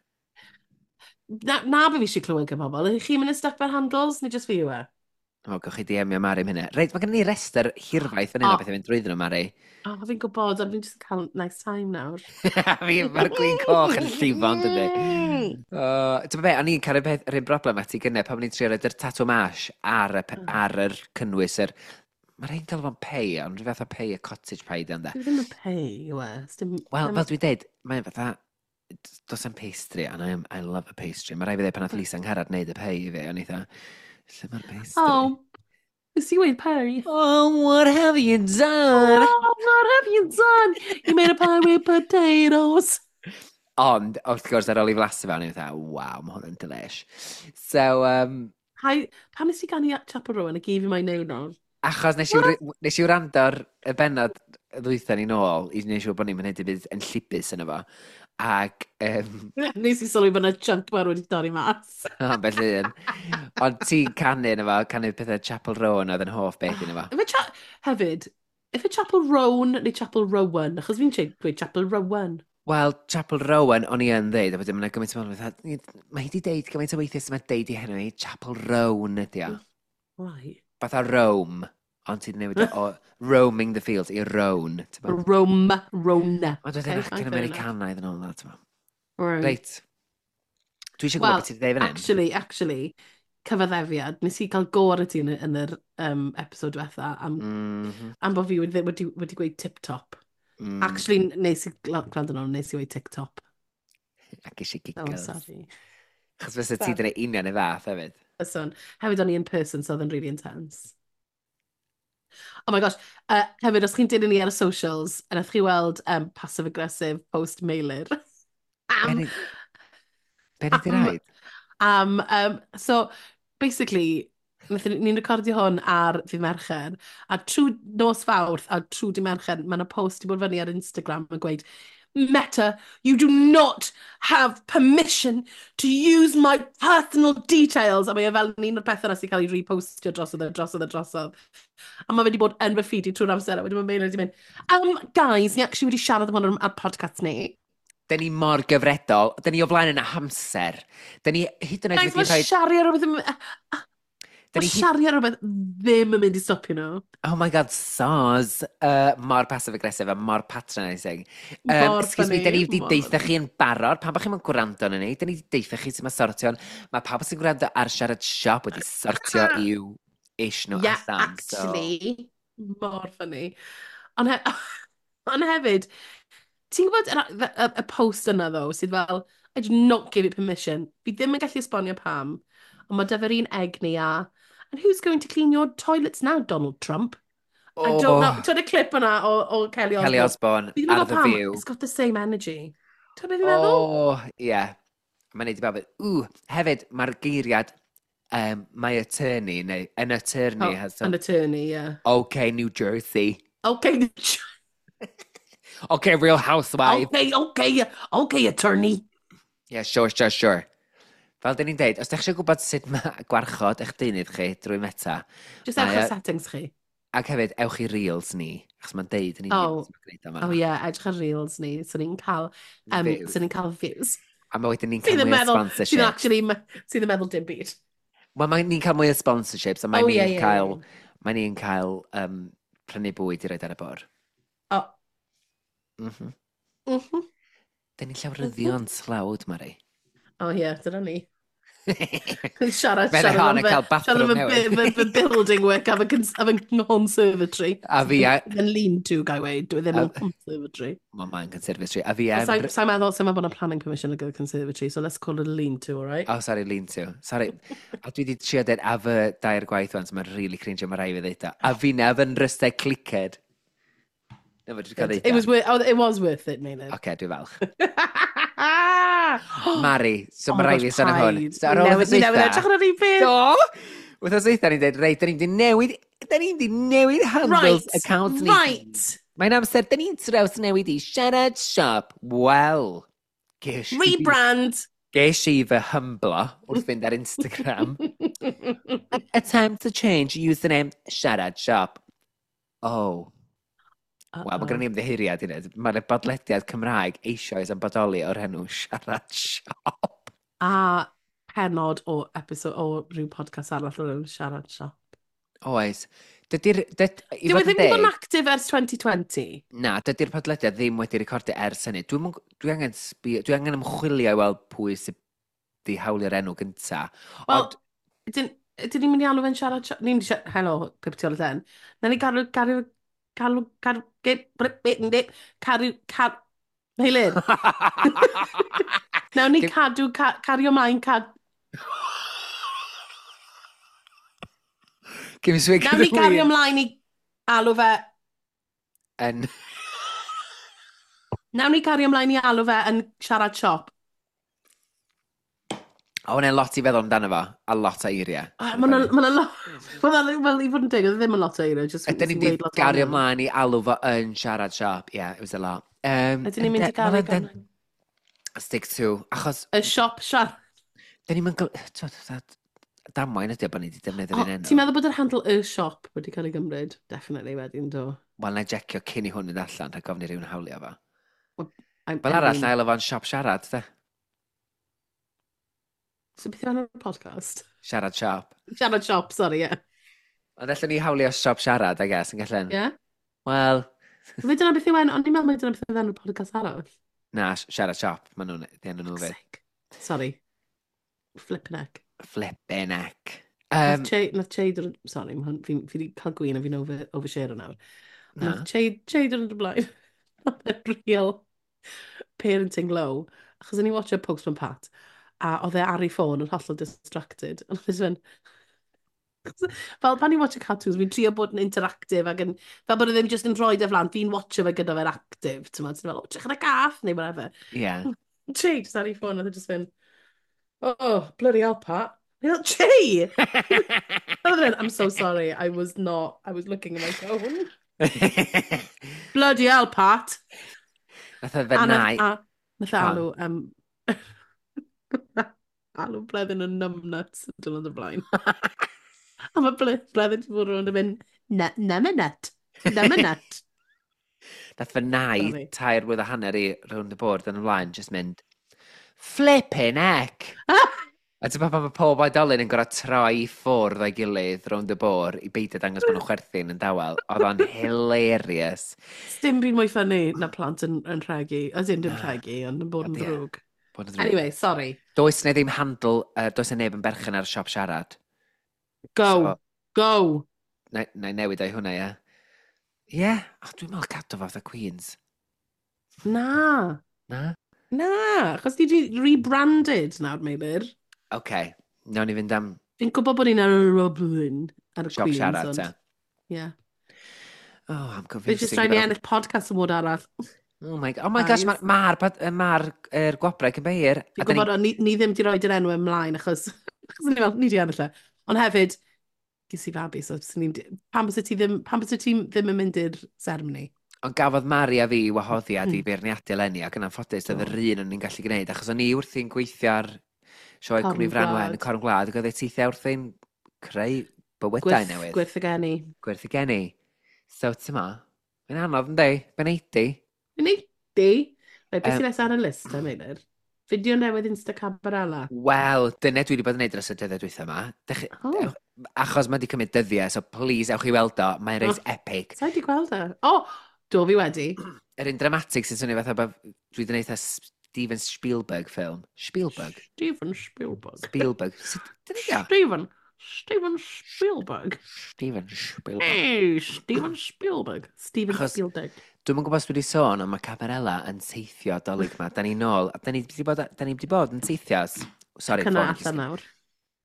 Na, na be fi eisiau clywed gan bobl. Ydych chi'n mynd yn stuck mewn handles, neu just fi yw e? O, gewch chi D M-io Mari am hynna. Reit, mae gen ni restr hirfaith fan hyn o O. beth i fynd drwyddyn nhw, Mari. O, fi'n gwybod, ond fi'n just yn cael nice time nawr. Fi, mae'r gwin coch yn llifo, yn dydi? Uh, Ti'n be, o'n i'n cael yr peth, yr un broblem ati gynne pan o'n i'n trio roid yr tatw mash ar y, pe- Mm. ar yr cynnwys yr... Mae rhaid gael fo'n pei, ond rhyw fath o pei, y cottage pie, di ond e. Dwi ddim yn pei, yw e. Sdim... Wel, ddim- fel dwi'n deud, mae'n fatha... Does am pastry, and I, am, I love a pastry. Mae rhaid fi ddeud pan nath Lisa Angharad wneud y pei i fi, o'n i fatha, lle mae'r pastry? Oh, nes i weud pei. Oh, what have you done? Oh, what have you done? You made a pie with potatoes. Ond, wrth gwrs, ar ôl i flasu fe, o'n i'n fatha, waw, mae hwn yn delish. So, um, Hi, pam nes i ganu Chappell Roan a gif i my neud nawr? Achos nes i, wr- nes i wrando ar y bennod ddwytha ni nôl i wneud siŵr bod ni'n mynd i byd yn llibus yno fo. Ac... Um, Nes i sylwi bod yna chunk mawr wedi dorri mas. Ambell un. Ond ti'n canu yna fo, canu pethau Chappell Roan oedd yn hoff beth yna fo. Ife cha hefyd, ife Chappell Roan neu Chappell Rowan? Achos fi'n dweud Chappell Rowan. Wel, Chappell Rowan, o'n i yn ddeud, a wedyn mae'n gymaint o bobl, mae hi wedi deud gymaint o weithiau sy'n mae'n deud i henw hi, Chappell Roan ydi o. Right. Fatha Rome, ond ti'n newid o, o roaming the fields i Roan. Rome, Rona. Ond wedyn Okay, acen fine, fair enough. Americanaidd yn ôl na, ti'n Right. Reit. Dwi eisiau gwybod Wel, beth ti'n dweud fan hyn. Actually, actually, cyfaddefiad, nes i cael go ar y ti yn, yn yr um, episode diwetha am, Mm -hmm. am bod fi wedi, wedi, wedi gweud tip-top. Mm. Actually, nes i gwrando yn ôl, nes i weud TikTok. Ac eisiau Oh, giggles. sorry. Chos fysa ti dyna union y fath hefyd. Yswn. Hefyd o'n i in person, so oedd yn really intense. Oh my gosh. Uh, hefyd, os chi'n dilyn ni ar y socials, a nath chi weld um, passive-aggressive post Meilir. Am, Be ni di am- raid? am, um, so, basically, wnaethon ni'n recordio hwn ar ddydd Mercher, a trwy nos Fawrth a trwy dydd Mercher, mae yna post i bod fyny ar Instagram yn gweud, Meta, you do not have permission to use my personal details. A mae e fel un o'r pethau yna sy'n cael ei repostio drosodd a drosodd a drosodd. A mae fe wedi bod yn fy feed i trwy'r amser, a wedyn mae Meilir wedi mynd, um, guys, ni actually wedi siarad am hwn ar, ar podcast ni. Dyn ni mor gyfredol. Dyn ni o flaen yn hamser. Dyn ni hyd yn oed Guys, wedi mae rhoi... siarad ar rhywbeth... yn- Dyn Mae ni hyd... siarad ar rhywbeth ddim yn mynd i stopio nhw. Oh my god, soz. Uh, mor passive-aggressive a mor patronising. Um, Mor excuse me, funny, dyn ni wedi mor deitha funny. chi yn barod. Pam bod chi'n gwrando arno ni? Dyn ni wedi deitha chi sut mae sortio. Mae pawb sy'n gwrando ar Siarad Siop wedi sortio i'w ish nhw Yeah, allan. So... actually, mor funny. Ond he ond hefyd, ti'n gwybod y, y, y post yna ddo, sydd fel, I do not give it permission. Fi ddim yn gallu esbonio pam, ond mae dyfer un egni a, and who's going to clean your toilets now, Donald Trump? I don't know. Oh, Ti'n y clip yna o, o Kelly Osbourne? Kelly Osbourne Fi ddim yn ar gwybod The pam, View. it's got the same energy. Ti'n beth fi'n meddwl? Oh, ie. Yeah. Mae'n neud i bawb. Ww, hefyd, mae'r geiriad um, my attorney, neu an attorney Oh, has some... an attorney, yeah. Okay, New Jersey. Okay, Okay, Real Housewife. okay, okay, okay, attorney. Yeah, sure, sure, sure. Fel dyn ni'n deud, os ydych chi eisiau gwybod sut mae gwarchod eich deunydd chi drwy Meta, Just Mae ewch e- ar settings chi. ac hefyd, ewch i Reels ni, achos mae'n deud yn union Oh. sut mae'n gwneud o Oh yeah, edrych ar Reels ni, so ni'n cael, um, Views. so ni'n cael views. A mae wedyn ni'n cael Sydd yn mwy o meddwl, sydd sponsorship. actually, sydd yn meddwl dim byd. Wel, mae ni'n cael mwy o sponsorships, a mae Oh, ni'n yeah, yeah, cael, yeah. mae ni'n cael um, prynu bwyd i roed ar y bwrdd. Oh. Mm -hmm. Mm -hmm. Dyn ni'n llawryddion tlawd, Mari. Oh yeah, dyna ni. Siarad, Fe siarad hon am yn fy, cael siarad bathroom am fy, newydd. fy, fy building work a fy, cons- a fy conservatory. A fi a... Yn lean-to, gai weud, dwi ddim A- yn conservatory. Mae mae'n conservatory. A fi Sa'n am... sa meddwl, sa'n meddwl bod yna planning permission ar gyfer conservatory, so let's call it a lean-to, all right? Oh, sorry, lean to. Sorry. A dwi wedi trio dweud a fy dair gwaith wan, so mae'n really cringe, mae rhaid fi ddeud o. A fi na fy'n rystau cliced. Na, fe dwi wedi cael ddeud It was worth, oh, it was worth it, Meilir. Oce, dwi falch. Oh Mari, so Oh mae my rhaid fi gosh, sôn am hwn. paid. So ar ôl Newydd- wythnos Ni newydd dwytha- edrych ar yr un peth. Do! Wythnos dwytha ni'n dweud, reit, da ni'n di newid, da ni'n di newid handles Right, accounts ni. right. Mae'n amser, da ni'n traws newid i Siarad Siop. Wel, ges i, Rebrand. ges i fy hymblo wrth fynd ar Instagram. Attempt to change username Siarad Siop. Oh, wel, mae gen i ymddiheuriad i wneud. Mae'r bodlediad Cymraeg eisoes yn bodoli o'r enw Siarad Siop. A penod o episode o rhyw podcast arall o'r enw Siarad Siop. Oes. Dydy'r... Dyd, i Dyw e fod yn ddim wedi bod yn deg, active ers twenty twenty. Na, dydy'r podlediad ddim wedi recordio ers hynny. Dwi'n dwi angen, sbi, dwi angen ymchwilio i weld pwy sydd di hawlio'r enw gynta. Wel, Ond, dyn dyn ni'n mynd i alw fe'n Siarad Siop? Ni'n mynd i siarad. Helo, pip tu ôl y llen. Na ni galw, galw, galw, galw, get, brip, bit, dip, caru, car... Meilir. Nawn ni Dim- cadw, ca, cario mlaen, cad... Give me swig Nawn ni cario mlaen i alw fe. Yn... Nawn ni cario mlaen i alw fe yn Siarad Siop. O, hwnna'n lot i feddwl amdano fo, a lot o eiriau. Ah, Mae 'na ma' 'na lot. Wel, wel, i fod yn deg, oedd e ddim yn lot o eiriau, just Ydyn ni'n weud mynd lot i gario ohonyn nhw. mlaen i alw fo yn Siarad Siop. Yeah, it was a lot. Um, Ydyn ni'n mynd i gario ymlaen? Stick to, achos... Y siop siarad. Da ni'n mynd... Damwain ydy o bod ni wedi defnyddio'r un enw. Ti'n meddwl bod yr handle y siop wedi cael ei gymryd? Definitely wedyn, do. Wel, na i jecio cyn i hwn yn allan, rhaid gofyn i rywun hawlio fo. Well, Fel arall, na i fo'n siop siarad, de. So beth yw enw'r podcast? Siarad siop. Siarad siop, sorry, ie. Yeah. Ond allan ni hawlio siop siarad, I guess, yn gallen. Ie? Yeah. Wel... Fe dyna beth yw enw, ond ni'n meddwl mai dyna beth yw enw'r podcast arall. Na, siarad siop, maen nhw'n, di enw nhw fyd. Sorry. Flippin' heck. Flippin' heck. Um, nath Che, nath Che dod, sorry, ma fi, fi wedi cael gwin a fi'n over, overshare nawr. Na. Nath Che, Che dod yn y blaen. Nath e real parenting low. Achos o'n i'n watcho Postman Pat, a oedd e ar ei ffôn yn hollol distracted. A nath e jyst mynd, fel pan i'n watcho cartoons, fi'n trio bod yn interactive ac yn, fel bod e ddim just yn rhoi e flan, fi'n watcho fe gyda fe'n active, ti'n meddwl, fel, oh, drych ar y gath, neu whatever. Yeah. Che, just ar ei ffôn, oedd e just fynd, oh, bloody hell, Pat. Ni'n fel, Che! I'm so sorry, I was not, I was looking at my phone. Bloody hell, Pat. Nath e fe nai. Nath e alw, um, alw Bleddyn yn numbnuts yn dod y blaen. A mae Bleddyn wedi bod rownd yn mynd, numbnut, numbnut. Nath fy nai tair mlwydd a hanner i rownd y bwrdd yn ymlaen, just mynd, flippin' heck! A ti'n pan mae pob oedolyn yn gorfod troi i ffwrdd o'i gilydd rownd y bwrdd i beidio dangos bod nhw'n chwerthin yn dawel. Oedd o'n hilarious. Dim byd mwy funny na plant yn, yn rhegi. As in, dim rhegi, ond yn bod yn ddrwg. Bod yn ddrwg. Anyway, sorry. Does na ddim handle, uh, does na neb yn berchen ar y siop siarad. Go, so, go! Na, na i newid o'i hwnna, ie. Ie, yeah. Oh, dwi'n meddwl cadw fo fatha Queens. Na. Na? Na, achos ni di rebranded nawr, Meilir. Oce, okay. Nawn ni fynd am... Fi'n gwybod bod ni'n ar y Roblin, ar y Siop Queens. Siarad, te. Yeah. Oh, I'm confused. Fi jyst rhaid ni ennill podcast award arall. Oh my, oh my gosh, mae'r ma, ma, ma er gwobrau cyn beir. Fi'n gwybod, ni, ni ddim di roed yr enw ymlaen, achos, achos ni fel, ni di ennill e. Ond hefyd, ges i fabi, so ni'n, pam byse ti ddim, pam byse ti ddim yn mynd i'r seremoni? Ond gafodd Mari a fi wahoddiad mm. i beirniadu eleni, ac yn anffodus, oedd yr un o'n i'n gallu gwneud, achos o'n i wrthi'n gweithio ar sioe Cwmni Frân Wen, y Corn Gwlad, ac oedd e teithiau wrthi'n creu bywydau Gwyrth, newydd. Gwyrth y geni. Gwyrth y geni. So, ti'n ma, mae'n anodd yndi, fe'n eighty. Fe'n eighty? Reit, beth sy'n nesaf ar y list, e, Meilir? Fideo newydd Insta Cabarella. Wel, dyna dwi wedi bod yn neud dros y dyddiau dwytha yma. Dech, oh. Achos mae wedi cymryd dyddiau, so please ewch i weld o. Mae'n reit oh. epic. Sa i wedi gweld e? O, oh, do fi wedi. Yr un dramatic sy'n swnio fatha bod dwi wedi gwneud Steven Spielberg film. Spielberg? Steven Spielberg. Spielberg. Sut, Steven. Steven Spielberg. Steven Spielberg. Hey, Steven Spielberg. Steven Achos, Spielberg. Dwi'm yn gwybod os dwi wedi sôn, ond mae Cabarella yn teithio dolyg ma. Da ni nôl, da ni wedi bod, da ni wedi bod yn teithio. Sorry, Cyna allan nawr.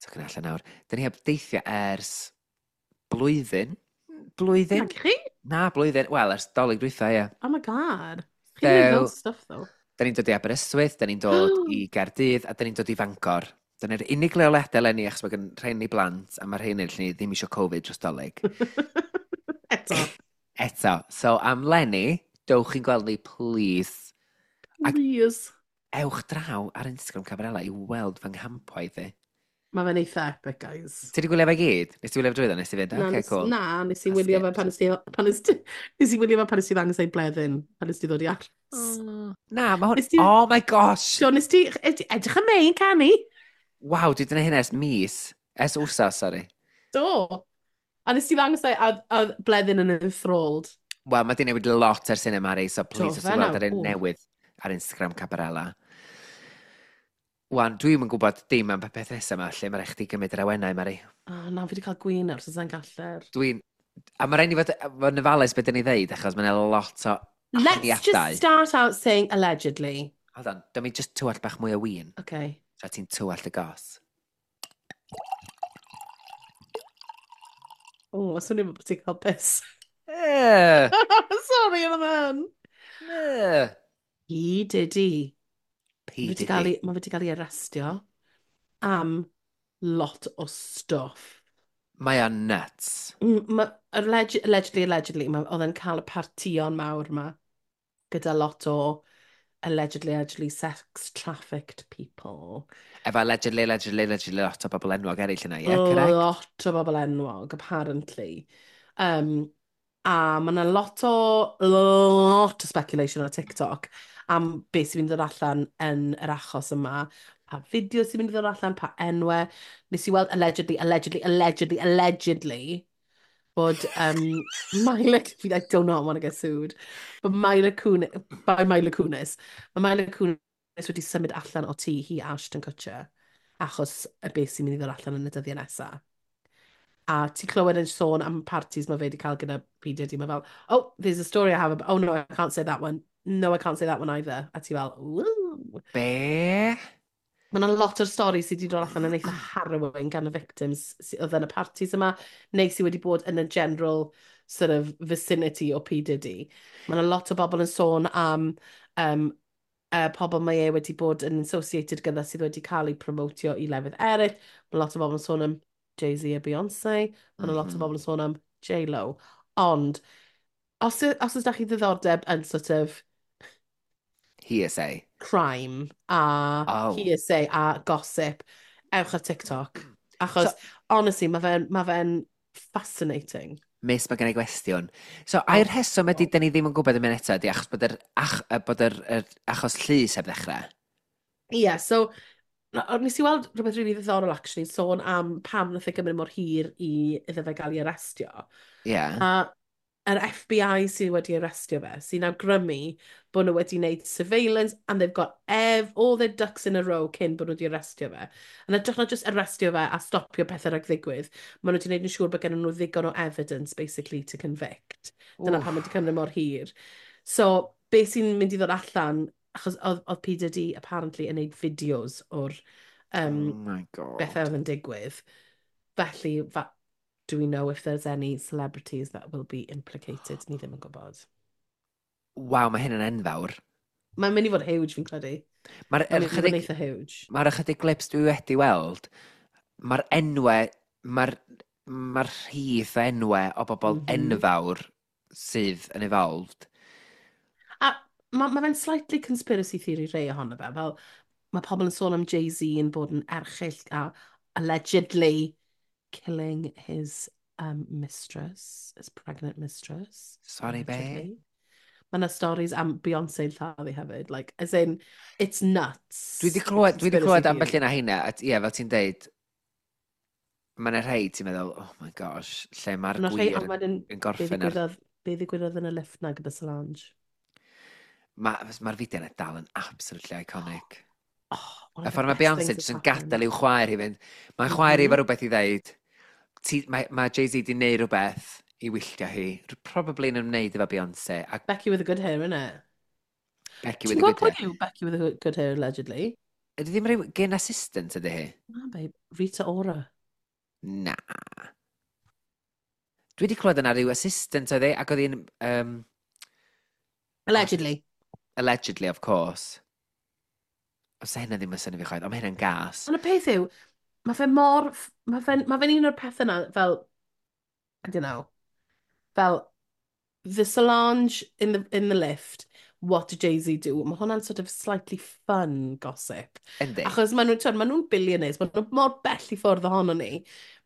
Tocyn allan nawr. Da ni heb deithio ers blwyddyn. Blwyddyn? Na chi? Na, blwyddyn. Wel, ers dolyg dwytha, ie. Oh my god. Chi'n so, loads stuff, though. Da ni'n dod i Aberystwyth, da ni'n dod i Gaerdydd, a da ni'n dod i Fangor. Dyna'r unig leoliadau eleni, achos mae gen rhain ni blant, a mae rhain ni ddim eisiau Covid dros dolyg. Eto. Eto. So, am Lenny, dowch chi'n gweld ni, please. Please. Ac ewch draw ar Instagram Cabarella i weld fy nghampwaith i. Mae fe'n eitha epic, guys. Ti wedi gwylio fe gyd? Nes ti wylio fe drwyddo? Nes ti fynd? Na, okay, cool. Na, nes i wylio fe pan nes ti... Pan nes ti, nes i wylio fe pan nes ti ddangos ei bleddyn, pan nes ti ddod i aros. Oh. Na, mae hwn... Ti, oh my gosh! So, nes ti... Edrych am ein canu. Waw, dwi wedi gwneud hyn ers mis. Ers wsos, sorry. Do. A nes ti ddangos ei, a, a bleddyn yn enthralled. Wel, mae di newid lot ers hynny, Mari, so please, os ti'n gweld ar un newydd ar Instagram Cabarella. Wan, dwi'm yn gwybod dim am beth nesaf yma, lle mae rhaid chdi gymryd yr awenau, Mari. O, oh, na, fi wedi cael gwin ar, so sa'n gallu'r. Dwi'n... A mae rhaid ni fod, fod yn ofalus beth dyn ni ddeud, achos mae'n lot o Let's just start out saying allegedly. Hold on, dyma mi just tywallt bach mwy o win. Okay. Tra ti'n tywallt y gos. O, oh, swnio bod ti'n cael piss. Eh. Sorry, am man. Eh. P. Diddy. P. Diddy. Mae wedi cael ei arestio am lot o stuff. Mae o'n nuts. Mm, ma, alleg, allegedly, allegedly, ma, oedd e'n cael y partïon mawr yma gyda lot o allegedly, allegedly sex trafficked people. Efo allegedly, allegedly, allegedly lot o bobl enwog eraill yna, ie, yeah, correct? Lot o bobl enwog, apparently. Um, a mae yna lot o, lot o speculation ar TikTok am beth sy'n mynd i ddod allan yn yr achos yma, pa fideo sy'n mynd i ddod allan, pa enwau. Nes i weld allegedly, allegedly, allegedly, allegedly, bod um, Mila, I do not want to get sued, but Mila Kunis, by Mila Kunis, mae Mila Kunis wedi symud allan o tŷ hi Ashton Kutcher, achos y beth sy'n mynd i ddod allan yn y dyddiau nesaf. A ti'n clywed yn sôn am parties mae fe wedi cael gyda P. Diddy, mae fel, oh, there's a story I have, about, oh no, I can't say that one. No, I can't say that one either. A ti fel, woo. Be? Mae yna lot o'r stori sydd wedi dod allan yn eitha harrowing gan y victims sydd oedd yn y parties yma, neu sydd wedi bod yn y general sort of vicinity o P. Diddy. Mae yna lot o bobl yn sôn am um, uh, pobl mae e wedi bod yn associated gyda sydd wedi cael eu promotio i lefydd eraill. Mae lot o bobl yn sôn am Jay-Z a Beyoncé. Mae yna lot o Mhm. bobl yn sôn am J-Lo. Ond, os, os oes da chi ddiddordeb yn sort of Hearsay. crime a Oh. hearsay a gossip, ewch ar TikTok. Achos, so, honestly, mae fe'n ma fe fascinating. Miss, mae gen i gwestiwn. So, ai'r rheswm ydy, dyn ni ddim yn gwybod yn mynd eto, ydy achos bod yr, ach, yy, bod yr, yr achos llys heb ddechrau? Ie, yeah, so, na- nes i weld rhywbeth really ddiddorol, actually, sôn am pam nath e gymryd mor hir i iddo fe gael ei arestio. Ie. Yeah. A yr F B I sydd wedi arestio fe, sy'n awgrymu bod nhw wedi wneud surveillance and they've got ev all their ducks in a row cyn bod nhw wedi arestio fe. Yn hytrach na just arestio fe a stopio pethau rhag ddigwydd, maen nhw wedi wneud yn siŵr bod gen nhw ddigon o evidence, basically, to convict. Dyna pam wedi cymryd mor hir. So, beth sy'n mynd i ddod allan, achos oedd, oedd P. Diddy apparently yn gwneud fideos o'r um, Oh my God. bethau oedd yn digwydd. Felly, fa do we know if there's any celebrities that will be implicated? Ni ddim yn gwybod. Waw, mae hyn yn enfawr. Mae'n mynd i fod huge, fi'n credu. Mae'r Mae'n mynd i fod yn ychydig, eitha huge. mae'r ychydig clips dwi wedi weld, mae'r enwau, mae'r mae'r rhith o enwau o bobl mm Mhm. -hmm. enfawr sydd yn involved. A mae ma fe'n slightly conspiracy theory rei ohono fe. Fel, mae pobl yn sôn am Jay-Z yn bod yn erchyll a allegedly killing his um, mistress, his pregnant mistress. Sorry, be? Allegedly. Mae yna stories am Beyoncé yn lladdu hefyd. Like, as in, it's nuts. Dwi wedi clywed, dwi wedi clywed Conspiracy ambell theory. un o heina, a t- ie, fel ti'n deud, mae yna rhai ti'n meddwl, oh my gosh, lle mae'r Ma' 'na rhai, gwir ond yn, wedyn, yn be gorffen ar... ddigwyddodd, be ddigwyddodd yn y lift na gyda Solange? Mae'r ma fideo yna dal yn absolutely iconic. Oh, one Y of the ffordd mae best Beyoncé things jyst yn that's happened. gadael i'w chwaer hi fynd. Mae'n chwaer hi Mhm. efo rhywbeth i ddeud. Ti, mae, mae Jay-Z di wneud rhywbeth i wylltio hi. Probably yn ymwneud efo Beyoncé. A Becky with the good hair, innit? Becky Ti'n with the gwybod good pwy hair. yw Becky with the good hair, allegedly? Ydy ddim rhyw gyn assistant ydy hi? Na, babe. Rita Ora. Na. Dwi wedi clywed yna rhyw assistant oedd hi, ac oedd hi'n... Um, Allegedly. Allegedly, of course. Os hynna ddim yn synnu fi chwaith, ond mae hynna'n gas. Ond y peth yw, mae fe mor... Mae fe'n ma fe un o'r pethau yna fel... I don't know. Fel, the Solange in the, in the lift, what did Jay-Z do? Mae hwnna'n sort of slightly fun gossip. Yndi. Achos maen nhw'n, maen nhw'n billionaires, maen nhw mor bell i ffwrdd ohono ni,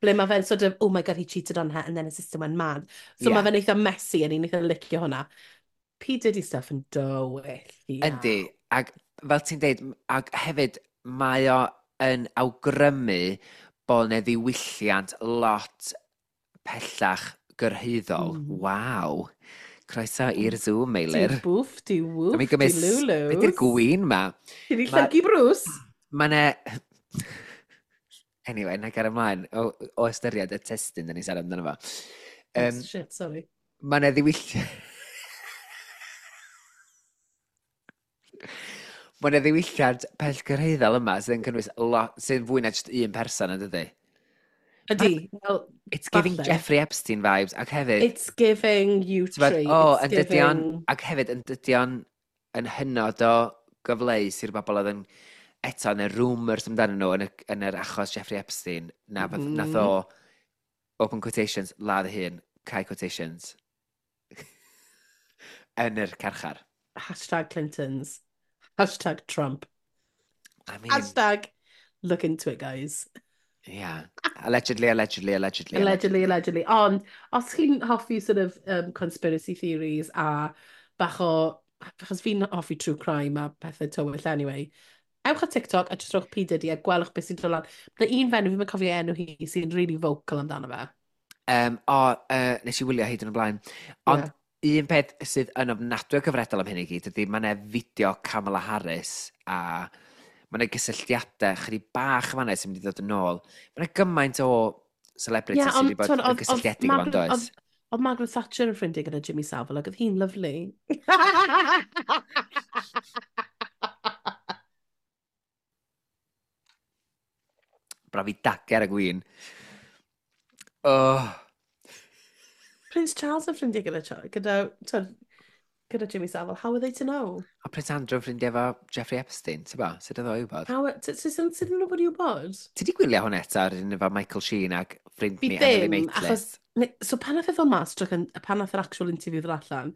ble mae fe'n sort of, oh my god, he cheated on her, and then his sister went mad. So Ie. mae fe'n eitha messy, a ni'n eitha licio hwnna. P. Diddy stuff yn dywyll iawn. Yndi, ac fel ti'n deud, ac hefyd mae o yn awgrymu bod yna ddiwylliant lot pellach gyrhaeddol. Mm. Waw. Croeso i'r Zoom, Meilir. Di bwff, di woof, Dwi'n di gymryd... lulus. Be di'r gwyn ma? Ti di Ma- llyncu Bruce. Mae 'na... Anyway, na gar ymlaen o, o ystyried y testun dyn ni'n siarad amdano fo. Um, Oh, shit, sorry. Mae 'na ddiwylliant... Mae 'na ddiwylliant pellgyrhaeddol yma sydd yn cynnwys lot, sydd yn fwy na jyst un person yn dydi? Ydy, well, It's giving Falle. Jeffrey Epstein vibes, ac hefyd... it's giving you Ti'n bod, tree. o, It's yn dydion, giving... ac hefyd yn dydion yn hynod o gyfleus i'r bobl oedd yn eto yn y rumours amdanyn nhw yn, y, yn yr achos Jeffrey Epstein, na mm Mhm. nath o, open quotations, ladd ei hun, cau quotations, yn yr carchar. Hashtag Clintons. Hashtag Trump. I mean... Hashtag look into it, guys. Yeah. Allegedly, allegedly, allegedly. Allegedly, allegedly. Ond, os chi'n hoffi sort of um, conspiracy theories a bach o... Achos fi'n hoffi true crime a pethau tywyll anyway. Ewch ar TikTok a just rhowch P. Diddy a gwelwch beth sy'n dod lan. Mae un fenyw, fi'n cofio enw hi, sy'n really vocal amdano fe. Um, o, uh, nes i wylio hyd yn y blaen. Ond yeah. un peth sydd yn ofnadwy o gyfredol am hyn i gyd ydy mae yna fideo Kamala Harris a mae yna gysylltiadau chydig bach yn fan'na sy'n mynd i ddod yn ôl. Mae yna gymaint o celebrities yeah, sydd wedi bod yn gysylltiedig efo'n does. Oedd Margaret Thatcher yn ffrindiau gyda Jimmy Savile ac oedd hi'n lyfli. Braf i dager a gwyn. Oh. Prince Charles yn ffrindiau gyda, gyda, gyda Jimmy Savile. How are they to know? A Prince Andrew yn ffrindiau efo Jeffrey Epstein, ti'n bo? Sut oedd o i wybod? How, sut nhw bod i wybod? Ti di gwylio hwn eto ar un efo Michael Sheen ac ffrind ni Emily Maitlis? Achos, so pan nath e ddod mas, drych, pan nath yr actual interview ddod allan,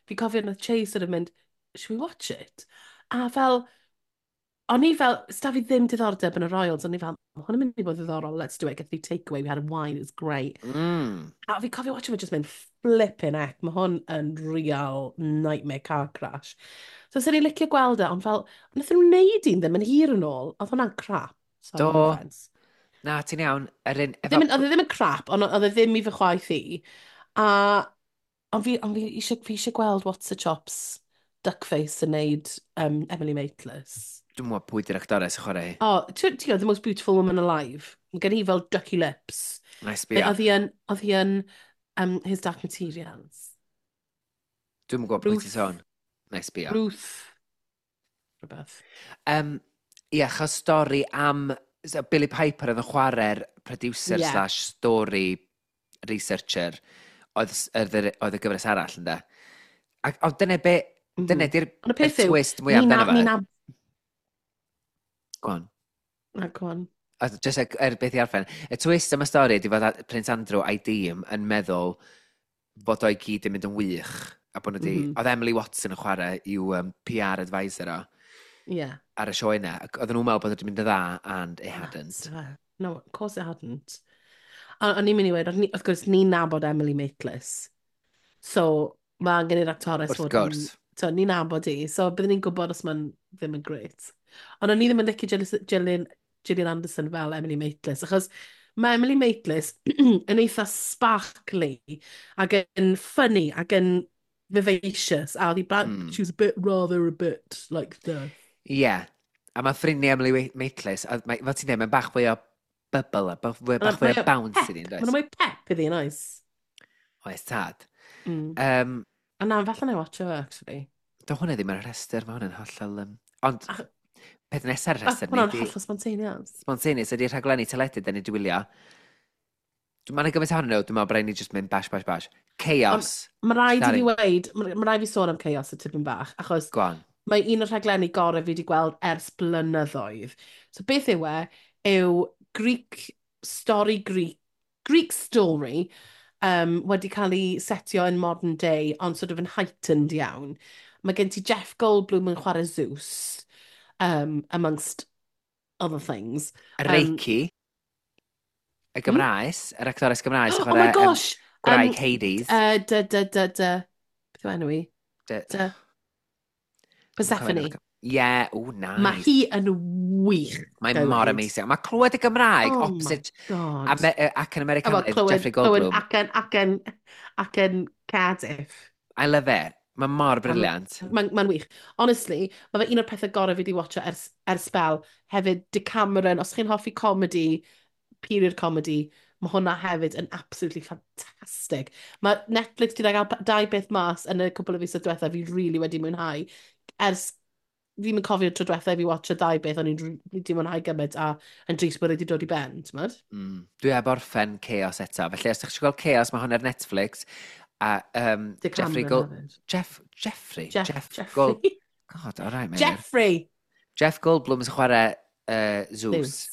fi cofio nath Chase sort of mynd, should we watch it? A fel, o'n i fel, sta fi ddim diddordeb yn y Royals, o'n i fel, ma hwn yn mynd i bod ddiddorol, let's do it, get the takeaway, we had a wine, it was great. Mm. A fi cofio watch fe just mynd flipping heck, mae hwn yn real nightmare car crash. So sy'n ni'n licio gweld e, ond fel, nath nhw wneud un ddim yn hir yn ôl, oedd hwnna'n crap. Sorry, Do. No offence. Na, ti'n iawn. Yr un, efo... Ddim, oedd e ddim yn crap, ond oedd e ddim i fy chwaith i. A ond fi, ond fi eisiau, fi eisiau gweld What's the Chops Duckface yn neud um, Emily Maitlis. Dwi'n mwyn pwy di'r actores yn chwarae hi. O, oh, ti'n gwybod, the most beautiful woman alive. Mae gen i fel ducky lips. Nice be. Oedd hi yn, oedd hi yn um, His Dark Materials. Dwi'n gwybod pwy ti'n sôn. Nice be. Ruth. Rhywbeth. Um, ie, achos stori am so Billy Piper oedd yn chwarae'r producer yeah. slash story researcher oedd, oedd, oedd y gyfres arall, ynde? Ac, ond dyna be, mm -hmm. dyna di'r y twist mwyaf amdano fe. Na... Go on. Na, go on. A just er, er beth i arffen, y twist am y stori ydy fod Prince Andrew a'i dîm yn meddwl bod o'i gyd yn mynd yn wych a bod nhw wedi... Mm -hmm. Oedd Emily Watson yn chwarae i'w um, P R advisor o. Yeah. Ar y sioe yna. Ac oedden nhw'n meddwl bod wedi mynd yn dda, and it hadn't. No, of course it hadn't. A o'n i'n mynd i weud, wrth gwrs, ni'n nabod Emily Maitlis. So, mae angen i'r actores Wrth gwrs. So, ni'n nabod i. So, byddwn ni'n gwybod os mae'n ddim yn great. Ond o'n i ddim yn licio Gillian, Gillian Anderson fel Emily Maitlis, achos mae Emily Maitlis yn eitha sparkly ac yn funny ac yn vivacious. A oedd hi, mm. she was a bit rather a bit like the... Ie. Yeah. A mae ffrindiau Emily Maitlis, a mae, fel ti'n dweud, mae'n bach fwy o bubble, a bach fwy, bach fwy o bounce iddi, yn does? Mae'n mwy pep iddi, oes? Oes, tad. Mm. Um, a na, falle na i watch o, actually. Do hwnna ddim ar y rhestr, mae hwnna'n hollol... Um, ond, a, peth nesaf ar y rhestr... Hwnna'n hollol spontaneous. Spontaneous ydy'r rhaglenni teledu da ni wedi wylio. Mae'n gymaint ohonyn nhw, dwi'n meddwl bod rhaid ni just mynd bash, bash, bash. Chaos. Mae rhaid i fi weid, mae rhaid fi sôn am Chaos y tipyn bach, achos... Go on. Mae un o'r rhaglenni gorau fi wedi gweld ers blynyddoedd. So beth yw e, yw Greek story Greek, Greek story um, wedi cael ei setio yn modern day, ond sort of yn heightened iawn. Mae gen ti Jeff Goldblum yn chwarae Zeus, um, amongst other things. Um, Reiki, y Gymraes, hmm? Yr actores Gymraes. Oh my gosh! Um, gwraig um, Hades. Uh, dy, dy, dy, dy. Beth yw enw i? Dy. dy. Persephone. Yeah, oh, nice. Mae hi yn wych. Mae mor amazing. Mae clywed y Gymraeg, oh opposite... My God. Ame ac yn Americanaidd, Jeffrey Goldblum. Clywed acen, acen, acen Cardiff. I love it. Mae mor brilliant. Mae'n ma wych. Honestly, mae fe un o'r pethau gorau fi wedi watcho ers, ers spel. Hefyd, Decameron, os chi'n hoffi comedy, period comedy, mae hwnna hefyd yn absolutely fantastic. Mae Netflix wedi cael dau beth mas yn y cwpl o fisoedd diwethaf fi really wedi mwynhau. Ers, fi'n mynd cofio tro diwethaf i fi watcho dau beth, o'n i'n wedi mwynhau gymaint a yn drist bod wedi dod i ben, ti'n mynd? Mm. Dwi heb orffen Chaos eto. Felly, os ydych chi'n gweld Chaos, mae hwn ar Netflix. A um, Jeffrey Gold... Jeff, Jeffrey? Jeff, Jeff Jeffrey. Gold... God, all right, Jeffrey! Jeff Goldblum yn chwarae uh, Zeus. Zeus.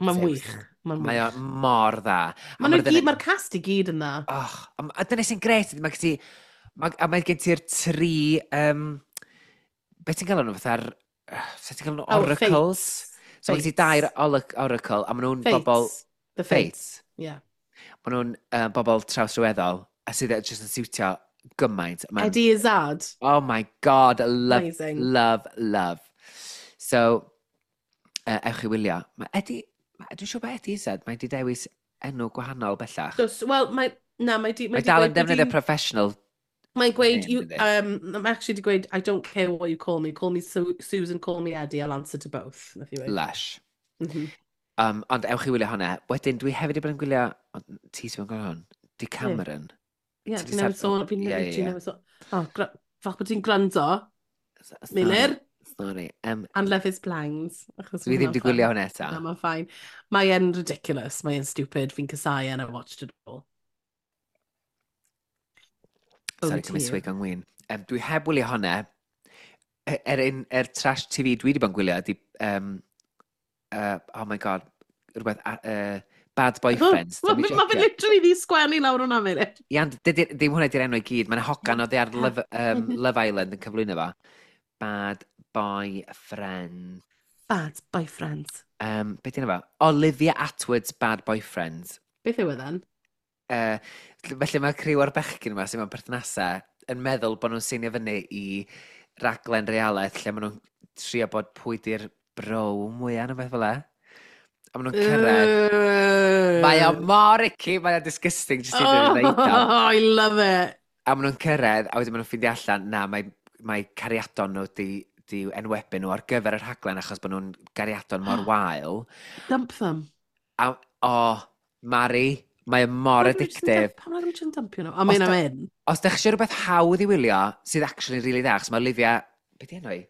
Mae'n wych. Mae'n Mae o mor dda. Mae'r ma mae'r cast i gyd yn dda. Oh, a dyna sy'n gret, mae gen ti... Ma, a mae gen ti'r tri... Um, be ti'n gael nhw fatha'r Sut ti'n cael nhw Oh, oracles? Fates. So mae gen ti dair Fates. oracle, a maen nhw'n bobl... Fates. The Fates. Fates. Yeah. Maen nhw'n uh, bobl trawsrhyweddol, a sydd jyst yn siwtio gymaint. Ma'n, Eddie Izzard. oh my God, love, Amazing. love, love. So, uh, ewch i wylio. Mae Eddie, dwi'n siŵr bod Eddie Izzard, mae di dewis enw gwahanol bellach. Does, wel, mae... Na, mae di... Mae Mae di dal yn gweud bod defnyddio hi'n- professional Mae'n gweud, name, you, dydi? um, mae actually di gweud, I don't care what you call me. Call me Su Susan, call me Eddie, I'll answer to both. Nath i weud. Lush. Mm -hmm. Um, ond ewch i wylio hwnna. Wedyn, dwi hefyd wedi bod yn gwylio... ond Ti sy'n gwylio hwn? Di Cameron. Ie, Ti 'di fi newydd sar- sôn, fi Ie, ie, literally ie. newydd sôn. Oh, gra- falch bod ti'n gwrando, Sorry. Meilir, Sorry. Um, and Love is Blind. Achos dwi ma' ddim wedi hwnna'n gwylio fun. hwnna eto. Na, mae'n fine. Mae e'n ridiculous, mae e'n stupid, fi'n casau and I watched it all. Sorry, Over to cymryd you. swig o'n win. Um, dwi heb wylio hwnna. E- Er, un, er trash T V dwi wedi bod yn gwylio ydi... Um, uh, oh my God, rhywbeth... Uh, Bad Boyfriends. Mae Dwi'm i ma fe checio. literally di sgwennu lawr hwnna, Meilir. Ia, ond dydi- ddim hwnna di'r enw i gyd. Mae'n hogan oedd ar Love, um, Love Island yn cyflwyno fo. Bad Boyfriend. Bad Boyfriends. Um, be di enw fo? Olivia Atwood's Bad Boyfriends. Beth yw e then? Uh, felly mae criw o'r bechgyn yma sy'n mewn perthnasau yn meddwl bod nhw'n seinio fyny i raglen realaeth lle maen nhw'n trio bod pwy di'r bro mwyaf neu beth fel e. A maen nhw'n cyrraedd. Mae o mor icky, mae o'n disgusting jyst i ddweud o. Oh, I love it. A maen nhw'n cyrraedd, a wedyn maen nhw'n ffeindio allan, na, mae, mae cariadon nhw di, di enwebu nhw ar gyfer y rhaglen achos bod nhw'n gariadon mor wael. Dump them. A, o, Mari, mae o mor Pam maen nhw jyst yn addictive. dump- Pam maen nhw jyst yn dumpio nhw? I mean, Os I'm da- in. Os da chi eisiau rhywbeth hawdd i wylio, sydd actually really dda, achos mae Olivia... Be di enw hi?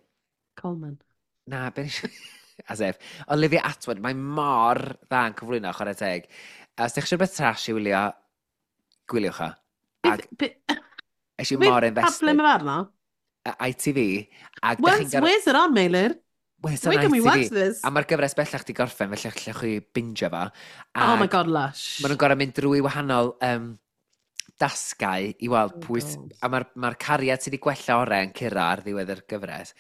Coleman. Na, be nes As if. Olivia Atwood, mae mor dda yn cyflwyno, chwarae teg. A Os da chi eisiau rhywbeth trash i wylio, gwyliwch o. Ag Beth- be- es i beth- mor Pa ble invested. mae fe arno? I T V. Ag da Where's, chi'n gorfod... where's it on, Meilir? Where's on Where can we watch I T V? this? A mae'r gyfres bellach di gorffen, felly allwch chi bingio fo. Oh my Ag god, lush. maen nhw'n gorfod mynd drwy wahanol um, dasgau i weld Oh pwy... s- God. A mae'r ma cariad sydd wedi gwella orau yn curo ar ddiwedd yr gyfres.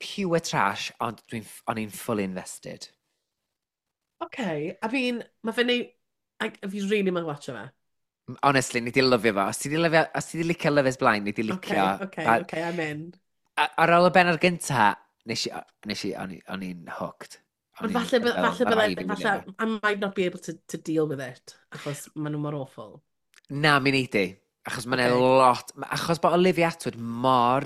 Pure trash, ond dwi'n, o'n i'n fully invested. Okay, I mean, mae fe'n neud... I- Fi really mae'n watcho fe. Honestly, ni di lyfio fo. Os ti di, lyfio, os ti di licio Love is Blind, ni di Okay, licio... okay, A, okay, I'm in. a, ar ôl y bennod gynta, nes i, nes i, o'n i- o'n i'n hooked. O'n Ond i'n falle, fel, falle, ma' raid bydde, i fi wylio falle, fo. I might not be able to, to deal with it, achos maen nhw mor awful. Na, mi neud i. Achos mae'n Okay. lot... ma- Achos bod Olivia Atwood mor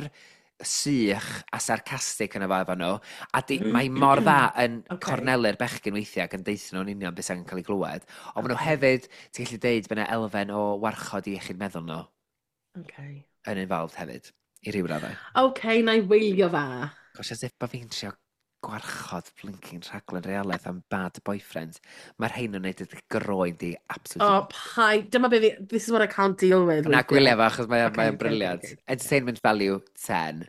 sych a sarcastic yn y fo efo nhw, a di, mae mor dda yn Okay. cornelu'r bechgyn weithiau ac yn deutha nhw'n union beth sy'n cael ei glywed. Ond maen nhw Okay. hefyd, ti'n gallu deud, bod yna elfen o warchod i iechyd meddwl nhw Okay. yn involved hefyd, i ryw raddau. Okay, na i wylio fe. Gosh, as if bod fi'n trio gwarchod blinking rhaglen realaeth am Bad Boyfriends. Mae'r rhain yn neud y groen di absolutely... Oh, pai, dyma be fi, this is what I can't deal with. Na, weithiau. gwylio fo, achos mae Okay, mae o'n okay, brilliant. okay, okay. Entertainment value, ten.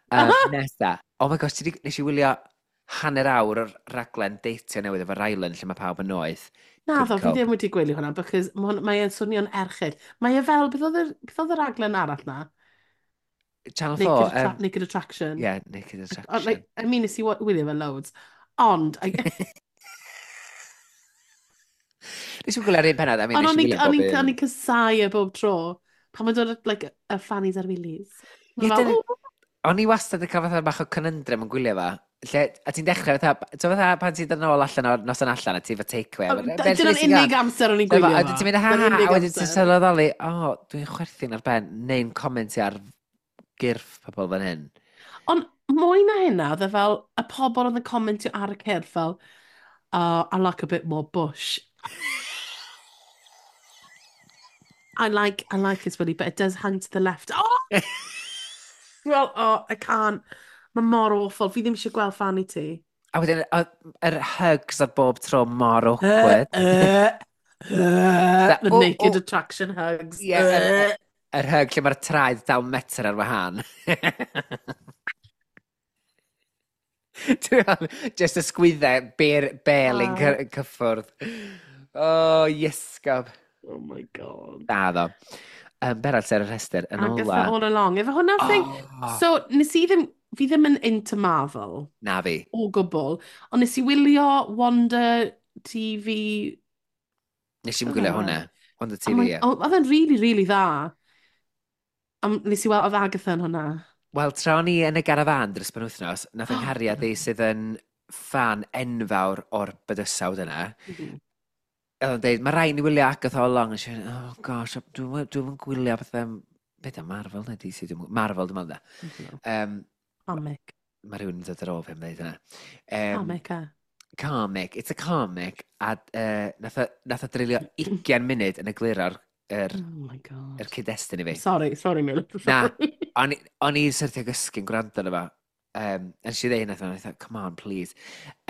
Um, nesa. Oh my gosh, ti 'di- nes i wylio hanner awr o'r raglen deitio newydd efo Rylan lle mae pawb yn noeth. Na, Couldn't ddo, fi cope. ddim wedi gwylio hwnna, because ma' hwn- mae e'n swnio'n erchyll. Mae e fel, beth oedd yr, beth oedd yr raglen arall na? Channel Naked, four. Attra Um, Naked Attraction. yeah, Naked Oh, Attraction. like, I mean, nes i wa- wylio fe loads. Ond, I, Nes i'n gwylio'r un pennod, I mean, ond nes o'n i i'n wylio o'n bob i'n o'n un. i'n casau e bob tro. Pan mae'n dod at, like, y fannies a'r willies. Ie, Mae'n fel, dyna- "Ooh." O'n i wastad yn cael fatha bach o conundrum yn gwylio fo. Lle, a ti'n dechrau fatha, ti'n fatha pan ti'n dod nôl allan o'r noson allan a ti efo takeaway. O, a d- be' Dyna'n nes i gael? unig amser o'n i'n Dyma, gwylio a fo. wedyn ti'n mynd, ha Dyna'n ha, a unig wedyn ti'n amser. sylweddoli, o, dwi'n chwerthin ar ben, neu'n comentio ar gyrff pobl fan hyn. Ond mwy na hynna, oedd e fel, y pobl oedd yn comentio ar y cyrff fel, oh, I like a bit more bush. I like, I like his willy, but it does hang to the left. Oh! Well, oh, I can't. Mae mor awful. Fi ddim eisiau gweld fanny ti. A wedyn, o- yr hugs ar bob tro mor awkward. Uh, uh, the Oh, naked oh. attraction hugs. Ie, yr, yr hug lle mae'r traed dal metr ar wahân. Dwi'n meddwl, just y sgwyddau, ber, bel yn Wow. cy- cyffwrdd. Oh, iesgob. Oh my god. Da ddo. Um, Berald ar y rhestr, yn Agatha ola. All Along. Efo hwnna'r thing. Oh, So, nes i ddim... Fi ddim yn into Marvel. Na fi. O gwbl. Ond nes i wylio Wanda T V... Nes i'n gwylio hwnna. Wanda T V, ie. Oedd e'n really, really dda. A nes i weld oedd Agatha yn hwnna. Wel, tra o'n i yn y garafan dros penwythnos, nath yng nghariad i sydd yn fan enfawr o'r bydysawd yna. Mm -hmm. Oedd o'n deud, mae rhaid ni wylio Agatha all along. Nes i, oh gosh, dwi'n dwi gwylio bethau... Beth am Marvel neu D C? Dwi Marvel, dwi'n meddwl. Um, comic. Mae rhywun yn dod ar ôl fi am dweud yna. Um, comic, e? Comic. It's a comic. A uh, nath, o, nath o dreulio ugain munud yn egluro'r er, oh my God. yr cyd-destun i fi. Sorry, sorry, Mil. Na, o'n i syrthio gysgu'n gwrando arno fo. Um, a nes i ddeud hynna, I thought, come on, please.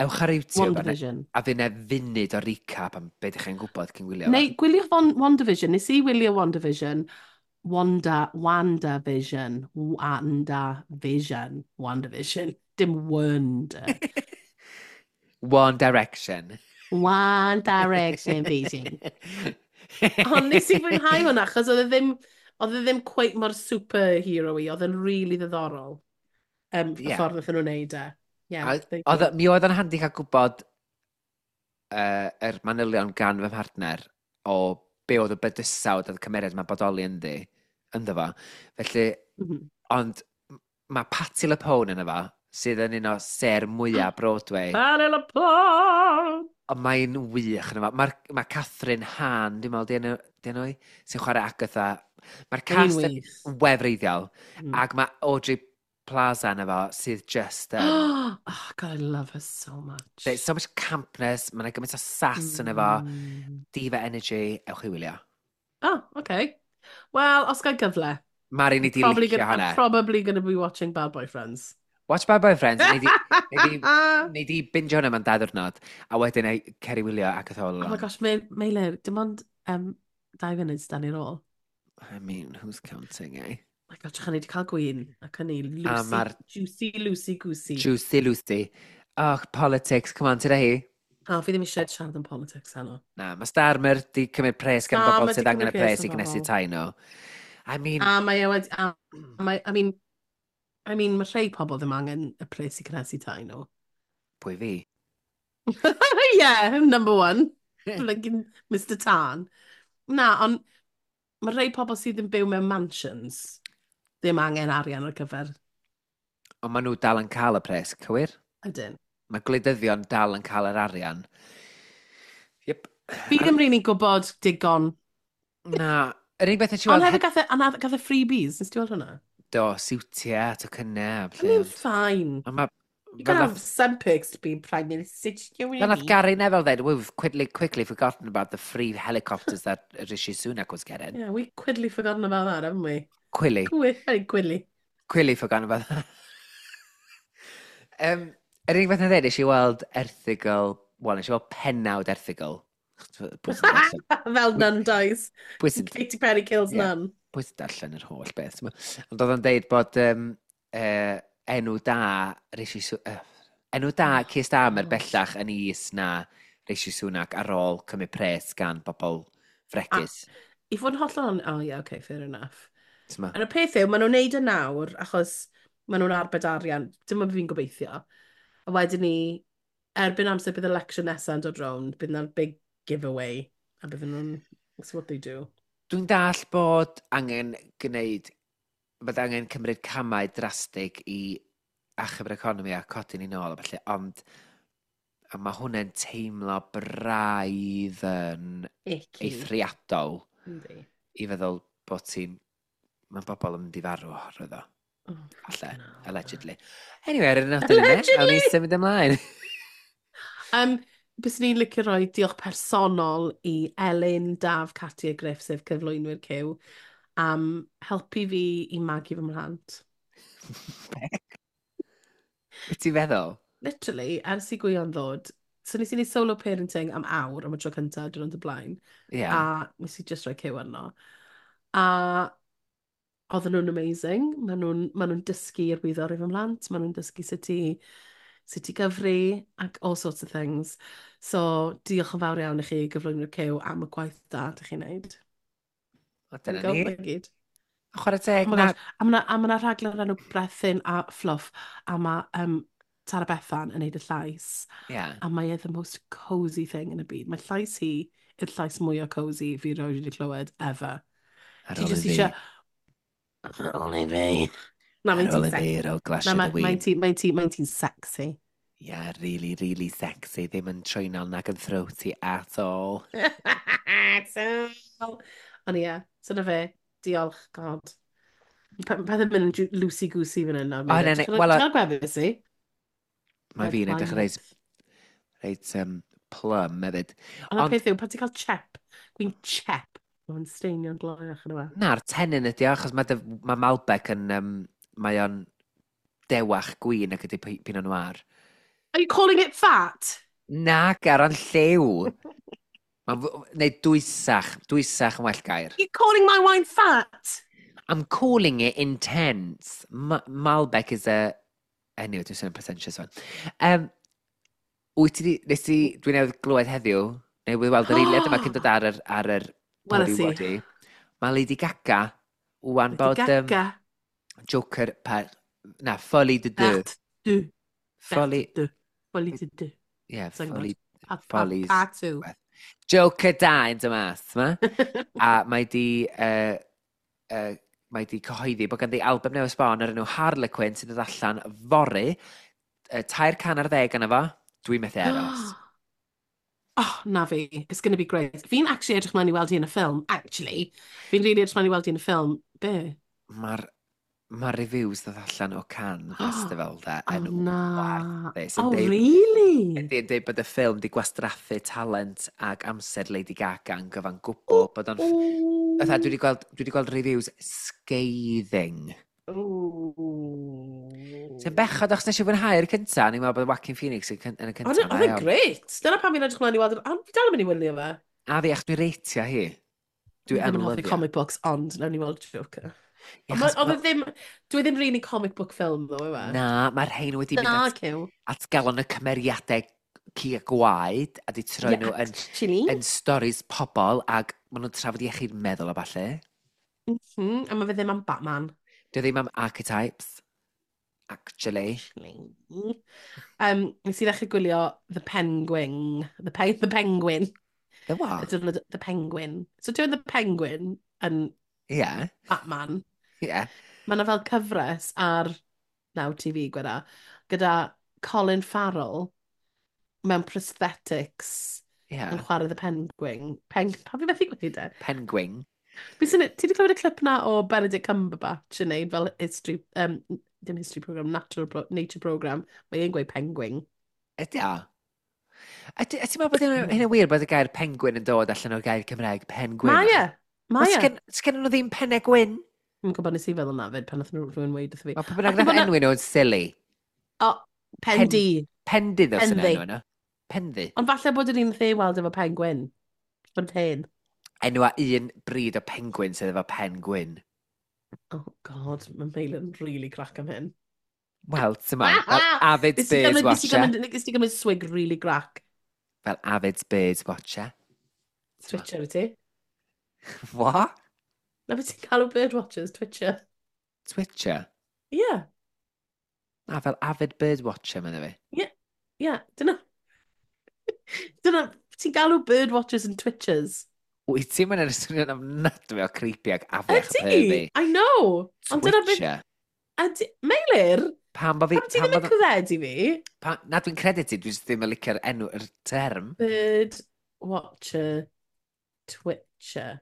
Ewch ar YouTube WandaVision. A, a fydd 'na funud o recap am beth ydych chi'n gwybod cyn gwylio. Neu, gwyliwch WandaVision. Nes i wylio WandaVision. Wanda, WandaVision, WandaVision, WandaVision, dim Wanda. One Direction. One Direction Vision. Ond nes i fwynhau hwnna, achos oedd e ddim, oedd e ddim quite mor superhero-y, oedd e'n really ddiddorol. Um, yeah. Y ffordd wnaethon nhw'n neud e. Yeah, oedd, mi oedd yn handi cael gwybod uh, yr manylion gan fy mhartner o be oedd y bydysawd oedd y cymeriad mae'n bodoli ynddi, ynddo fo. Felly, mm -hmm. ond mae Patti LuPone yna fo, sydd yn un o ser mwyaf Broadway. Patti LuPone! Ond mae'n wych yna fo. Mae ma Catherine Hahn, dwi'n meddwl, di enw, di enw i, sy'n chwarae Agatha. Mae'r cast yn wefreiddiol. Mm. Ac mae Audrey Plaza yna fo, sydd just... Um, oh, God, I love her so much. There's so much campness, mae'n gymaint o sass mm. yna fo, diva energy, ewch i wylio. Oh, okay. Well, os gael gyfle. Mari, ni di licio hwnna. I'm probably going to be watching Bad Boyfriends. Watch Bad Boyfriends. Nei di, nei di, nei di binge hwnna mewn dau ddiwrnod, a wedyn ei cer i wylio ac all along. Oh my gosh, Meilir, dim ond um, dau funud dan ni'r ôl. I mean, who's counting, eh? Oh my God, trach ni wedi cael gwyn, ac yn ni, Lucy, Juicy Lucy Goosey. Juicy Lucy. Oh, politics, come on, tyda hi. O, fi ddim eisiau siarad am politics heno. Na, mae Starmer di cymryd pres gan bobl sydd angen y pres i gnesu tai nhw. I mean... A mae e wedi... A, mae, I mean, I mean, mae rhai pobl ddim angen y pres i gnesu tai nhw. Pwy fi? Yeah, number one. Like Mister Tan. Na, ond mae rhai pobl sydd yn byw mewn mansions ddim angen arian ar gyfer. Ond maen nhw dal yn cael y pres, cywir? Ydyn. Mae gwleidyddion dal yn cael yr arian. Yep. Fi ddim rili'n gwybod digon. Na. Yr unig beth nes i weld... Ond hefyd gath e, gath e freebies, nes ti weld hwnna? Do, siwtiau, tocynnau. I mean, fine. Ma, You can have some perks to being Prime Minister. You know Fel nath Gary Neville dweud, we've quickly, quickly forgotten about the free helicopters that Rishi Sunak was getting. Yeah, we've quickly forgotten about that, haven't we? Quilly. Quilly. Quilly. Quilly forgotten about that. um, yr unig beth na ddweud, nes i weld erthygl, wel, nes i weld pennawd erthygl. Fel Nun dies. Katy Perry kills yeah. Nun. Pwy sy'n darllen yr holl beth. Ond oedd o'n deud bod um, uh, enw da Rishi uh, enw da Keir Starmer bellach yn is na Rishi Sunak ar ôl cymryd pres gan bobl fregus. A, i fod yn hollol on... Oh yeah, okay, fair enough. T'ma? A'r peth yw, maen nhw'n neud y nawr, achos maen nhw'n arbed arian, dim ond fi'n gobeithio. A wedyn ni, erbyn amser bydd election nesaf yn dod rownd, bydd yna'r big giveaway, a bydden nhw'n... That's what they do. Dwi'n dall bod angen gwneud, bod angen cymryd camau drastig i achub yr economi a codi ni nôl a felly, ond a mae hwnna'n teimlo braidd yn Icky. eithriadol Yndi. i feddwl bod ti'n... Mae bobl yn mynd i farw oherwydd o. Oh, Falle, no. Allegedly. Anyway, ar y nodyn yna, awn ni symud ymlaen. Um, Byswn i'n licio rhoi diolch personol i Elin, Daf, Cati a Griff, sef cyflwynwyr Cyw, am helpu fi i magu fy mhlant. Be ti'n feddwl? Literally, ers i Gwion ddod, so nes i wneud solo parenting am awr am y tro cyntaf diwrnod y blaen, yeah. A nes i just rhoi Cyw arno. A oedden nhw'n amazing. Maen nhw'n ma nhw dysgu i'r wyddor i fy mhlant, maen nhw'n dysgu sut i, sut i gyfri, ac all sorts of things. So, diolch yn fawr iawn i chi gyflwynwyr Cyw am y gwaith da ydych chi'n neud. O, dyna ni. Gyd. A chwarae teg, Oh my na. gosh. A mae 'na ma rhaglen o'r enw Brethyn a Fluff, a mae um, Tara Bethan yn neud y llais. Yeah. A mae e the most cosy thing yn y byd. Mae llais hi yw'r llais mwyaf cosy fi erioed wedi clywed ever. Ar Ti ôl i jyst fi, eisiau... Ar ôl i fi. Na, ar mae'n ôl ti'n i fi, sexy. ar ôl Na, glasio dy mae'n win. mae ti'n mae ti, mae ti'n sexy. Yeah, really, really sexy. Ddim yn trwynol nag yn throaty at all. So... Ond ie, so na fe. Diolch, God. Pe- Pethau'n mynd yn loosey-goosey fan hyn nawr. O, na, na, wel, Ti'n cael gwefus i? Mae fi'n edrych reit, reit um, plum hefyd. Ond y Ond- peth yw, pan ti'n cael chep, gwyn chep, mae'n steinio'n gloiach yn yma. Na'r tennyn ydi o, achos mae, dy, mae Malbec yn, um, mae o'n dewach gwyn ac ydi Pi- Pinot Noir. Are you calling it fat? Na, gar o'n lliw. Mae'n fw- neu dwysach, dwysach yn well gair. You calling my wine fat? I'm calling it intense. Ma Malbec is a... Anyway, dwi'n sôn pretentious one. Um, wyt ti di... Nes ti... Dwi newydd glywed heddiw, newydd weld yr eiliad yma cyn dod ar yr, ar yr Weles podi i. wodi. Mae Lady Gaga, wan Lady bod um, Gaga. Joker par... Na, Folie de deux. Part deux. Folie... Part deux. Folie de deux. Yeah, Sai'n gwbod. Folie... Pa, pa, Follies. pa two. Joker da yn dymas, ma? A mae di... Uh, uh, mae di cyhoeddi bod ganddi album newydd sbon o'r enw Harlequin sy'n dod allan fory. Uh, tair can ar ddeg yna fo. Dwi'n methu aros. Oh, na fi. It's going to be great. Fi'n actually edrych mlaen i weld hi yn y ffilm. Actually. Fi'n really edrych mlaen i weld hi yn y ffilm. Be? Mae'r ma reviews ddod allan o Cannes Festival da Oh, yn na. warthus. Yn Oh, deud- really? Ydy, yn deud bod y ffilm di gwastraffu talent ac amser Lady Gaga yn gyfan gwbl. Bod o'n... Fatha, dwi wedi gweld, dwi wedi gweld reviews scathing. Ooh. Sy'n bechod achos nes i fwynhau'r cynta, ni'n meddwl bod Joaquin Phoenix yn, cyn- yn y cynta. Oedd e- oedd e'n great. Dyna pam fi'n edrych mlaen i weld... Ond fi dal yn mynd i wylio fe. A fi, achos dwi'n reitio hi. Dwi Fi yn ddim yn hoffi lyfio. comic books, ond nawn ni weld Joker. Ie, Ond achos ma- Oedd ma- e ddim... Dwi ddim really comic book film, ddo, yw e? Na, mae'r rhain wedi mynd Na, at, cyw. at galon y cymeriadau ci a gwaed a di troi Yeah, nhw yn, actually. yn stories pobl ac maen nhw'n trafod iechyd meddwl a ballu. Mhm, A mae fe ddim am Batman. Dwi ddim am archetypes, actually. Actually. Um, nes i ddechrau gwylio The Penguin. The, Pe The Penguin. The what? The, the Penguin. So dwi'n The Penguin yn Ie, yeah, Batman. ie. Yeah. Mae yna fel cyfres ar Now T V gweda, gyda Colin Farrell mewn prosthetics Ie. yn chwarae The Penguin. Peng, pa fi methu gweud e? Penguin. Fi sy'n, ti wedi clywed y clip na o Benedict Cumberbatch yn neud fel history, um, dim history program, natural pro, nature program. Mae e'n gweud penguin. Ydy o? A ti- a ti'n meddwl bod hynna hynna'n wir bod y gair penguin yn dod allan o'r gair Cymraeg penguin? Mae e! Mae e! Sgen, sgen nhw ddim pennau gwyn? Dwi'n gwybod nes i feddwl na fyd pan nath nhw rhywun weud wrtho fi. Mae pwy bynnag Ac nath ma' 'na- enwi nhw'n silly. O, pen du. Penddu ddos yn Penddu. enw yna. Penddu. Ond falle bod yr un the weld efo pen gwyn. Bod hen. Enw a un bryd o penguin sydd efo pen gwyn. Oh god, mae Meilyr yn really crack am hyn. Wel, ti'n ma, fel avid Nes i bird gymryd- nes i watcher. gymryd- Nes i gymryd swig really grac. Fel avid bird watcher. Twitcher wyt ti? What? Na beth ti'n galw bird watchers, Twitcher. Twitcher? Yeah, Na, fel avid bird watcher, mae'n fi. yeah, dyna. Dyna, ti'n galw bird watchers and twitchers. Wyt ti'n mynd yn swnio'n ofnadwy o creepy ac afiach Ydy, pervy. I know. Ond dyna beth... Twitcher. Ydy, Meilir, Pam bo fi... pam ti Pam ddim yn bod... credu fi? Pa, na, dwi'n credu ti, dwi'n ddim yn licio'r enw, yr term. Bird watcher, twitcher.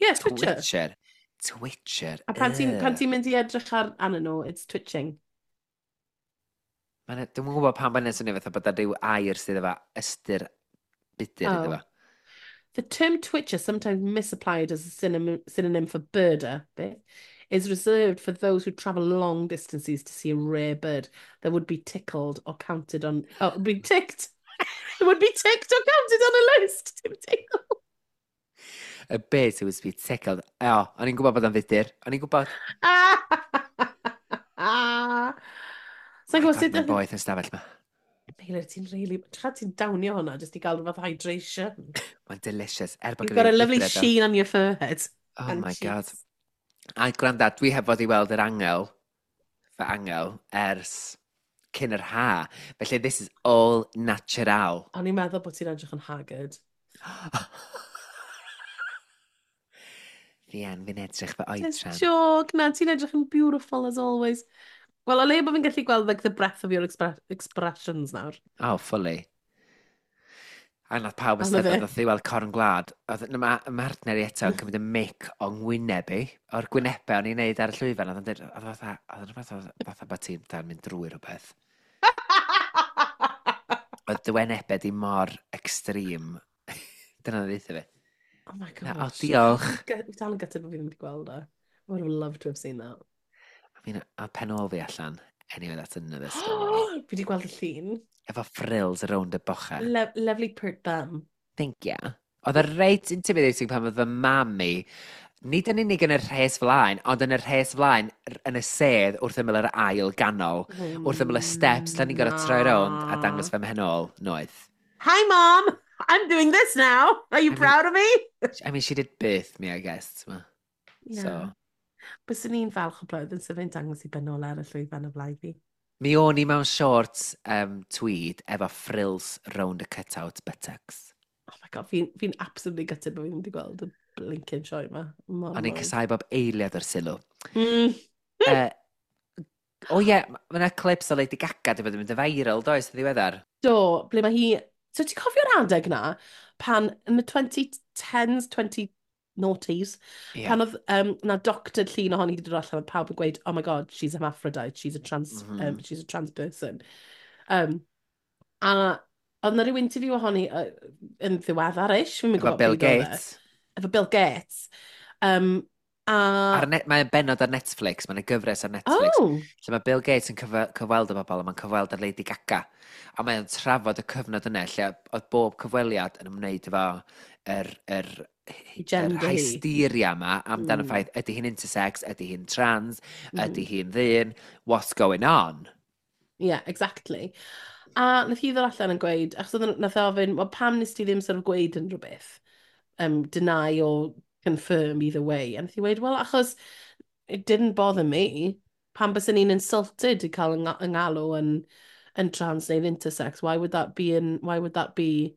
Yeah, twitcher. Twitcher. Twitcher. A pan ti'n Ugh. pan ti'n mynd i edrych ar arnyn nhw, it's twitching. Ma'n- Dwi'm yn gwybod pam mae'n swnio fatha bod 'na ryw air sydd efo ystyr budur iddo Oh. fo. The term twitcher, sometimes misapplied as a synonym, synonym for birder, bit, is reserved for those who travel long distances to see a rare bird that would be tickled or counted on... Oh, be ticked! It would be ticked or counted on a list! Dim tickle. A bird who would be tickled. O, o'n i'n gwybod bod o'n fudur. O'n i'n gwybod. Sa'n Oh gwybod God, sut... mae'n boeth yn stafell ma. Meilir, ti'n really... Ti'n ti'n downio hwnna jyst i gael rhywbeth hydration. Mae'n delicious. Er bod You've gynna got a fi lovely gwydred o- sheen on your forehead. Oh and my God. cheeks. A gwranda, dwi heb fod i weld yr angel, fy angel, ers cyn yr ha. Felly this is all natural. O'n i'n meddwl bod ti'n edrych yn haggard. Fi yn, fi'n edrych fy oedran. Just joke, na, ti'n edrych yn beautiful as always. Wel, o leia bod fi'n gallu gweld like, the breadth of your expre expressions nawr. Oh, fully. A nath pawb ystyried, nath i weld corn gwlad. Oedd ma, martner i eto yn cymryd y mic o ngwyneb i, o'r gwynebau o'n i'n neud ar y llwyfan. Oedd o'n dweud, oedd fatha, oedd o'n fatha, fatha bod ti'n dan mynd drwy rhywbeth. Oedd dy wynebau di mor extreme. Dyna ddeitha fi. Oh my gosh. Na, oh, diolch. Fi dal yn gutted bod fi ddim wedi gweld e. I would have loved to have seen that. I mean, a pen ôl fi allan. Anyway, that's another story. Fi wedi gweld y llun. Efo frills around y bochau. Lo lovely pert bum. Thank you. Oedd y reit intimidating pan oedd fy mam i, nid yn unig yn y rhes flaen, ond yn y rhes flaen yn y sedd wrth ymyl yr ail ganol, mm, wrth ymyl y steps, lle ni'n gorfod troi rownd a dangos fy mhen ôl, noeth. Hi mom, I'm doing this now. Are you I mean, proud of me? I mean, she did birth me, I guess. Yeah. So. Byswn i'n falch o blwyddyn sef fe'n dangos i ben ôl ar y llwyfan o flaen fi. Mi o'n i mewn shorts um, tweed efo frills round y cut-out buttocks. Oh my god, fi'n fi absolutely gutted bod fi ddim wedi gweld y blinking sioe yma. O'n i'n casau bob eiliad o'r sylw. Mm. uh, o ie, yeah, mae yna clips o Lady Gaga wedi bod yn mynd yn viral, does, yn ddiweddar? Do, ble mae hi... So ti'n cofio'r adeg na, pan yn y twenty tens, twenty noughties, yeah. Pan oedd um, na doctored llun ohoni wedi dod allan, oedd pawb yn gweud, oh my god, she's a hermaphrodite, she's a trans, mm -hmm. um, she's a trans person. Um, a oedd na ryw interview ohoni uh, yn ddiweddar-ish, fi'n gwybod. Efo Bill Gates. Efo Bill Gates. Um, a... Ar net, mae'n benod ar Netflix, mae'n gyfres ar Netflix. Oh. Lle mae Bill Gates yn cyf cyfweld y bobl, a mae'n cyfweld ar Lady Gaga. A mae'n trafod y cyfnod yna, lle oedd bob cyfweliad yn ymwneud efo yr, yr, yr hysteria yma amdan mm. y ffaith, ydy hi'n intersex, ydy hi'n trans, mm. ydy hi'n ddyn, what's going on? Yeah, exactly. A nath hi ddod allan yn gweud, achos oedd nath e ofyn, well, pam nes ti ddim sort of gweud unrhyw beth? Um, deny or confirm either way. A nath hi weud, well, achos it didn't bother me. Pam byswn ni'n insulted i cael yng ngalw yn, yn trans neu'n intersex? Why would that be, an, why would that be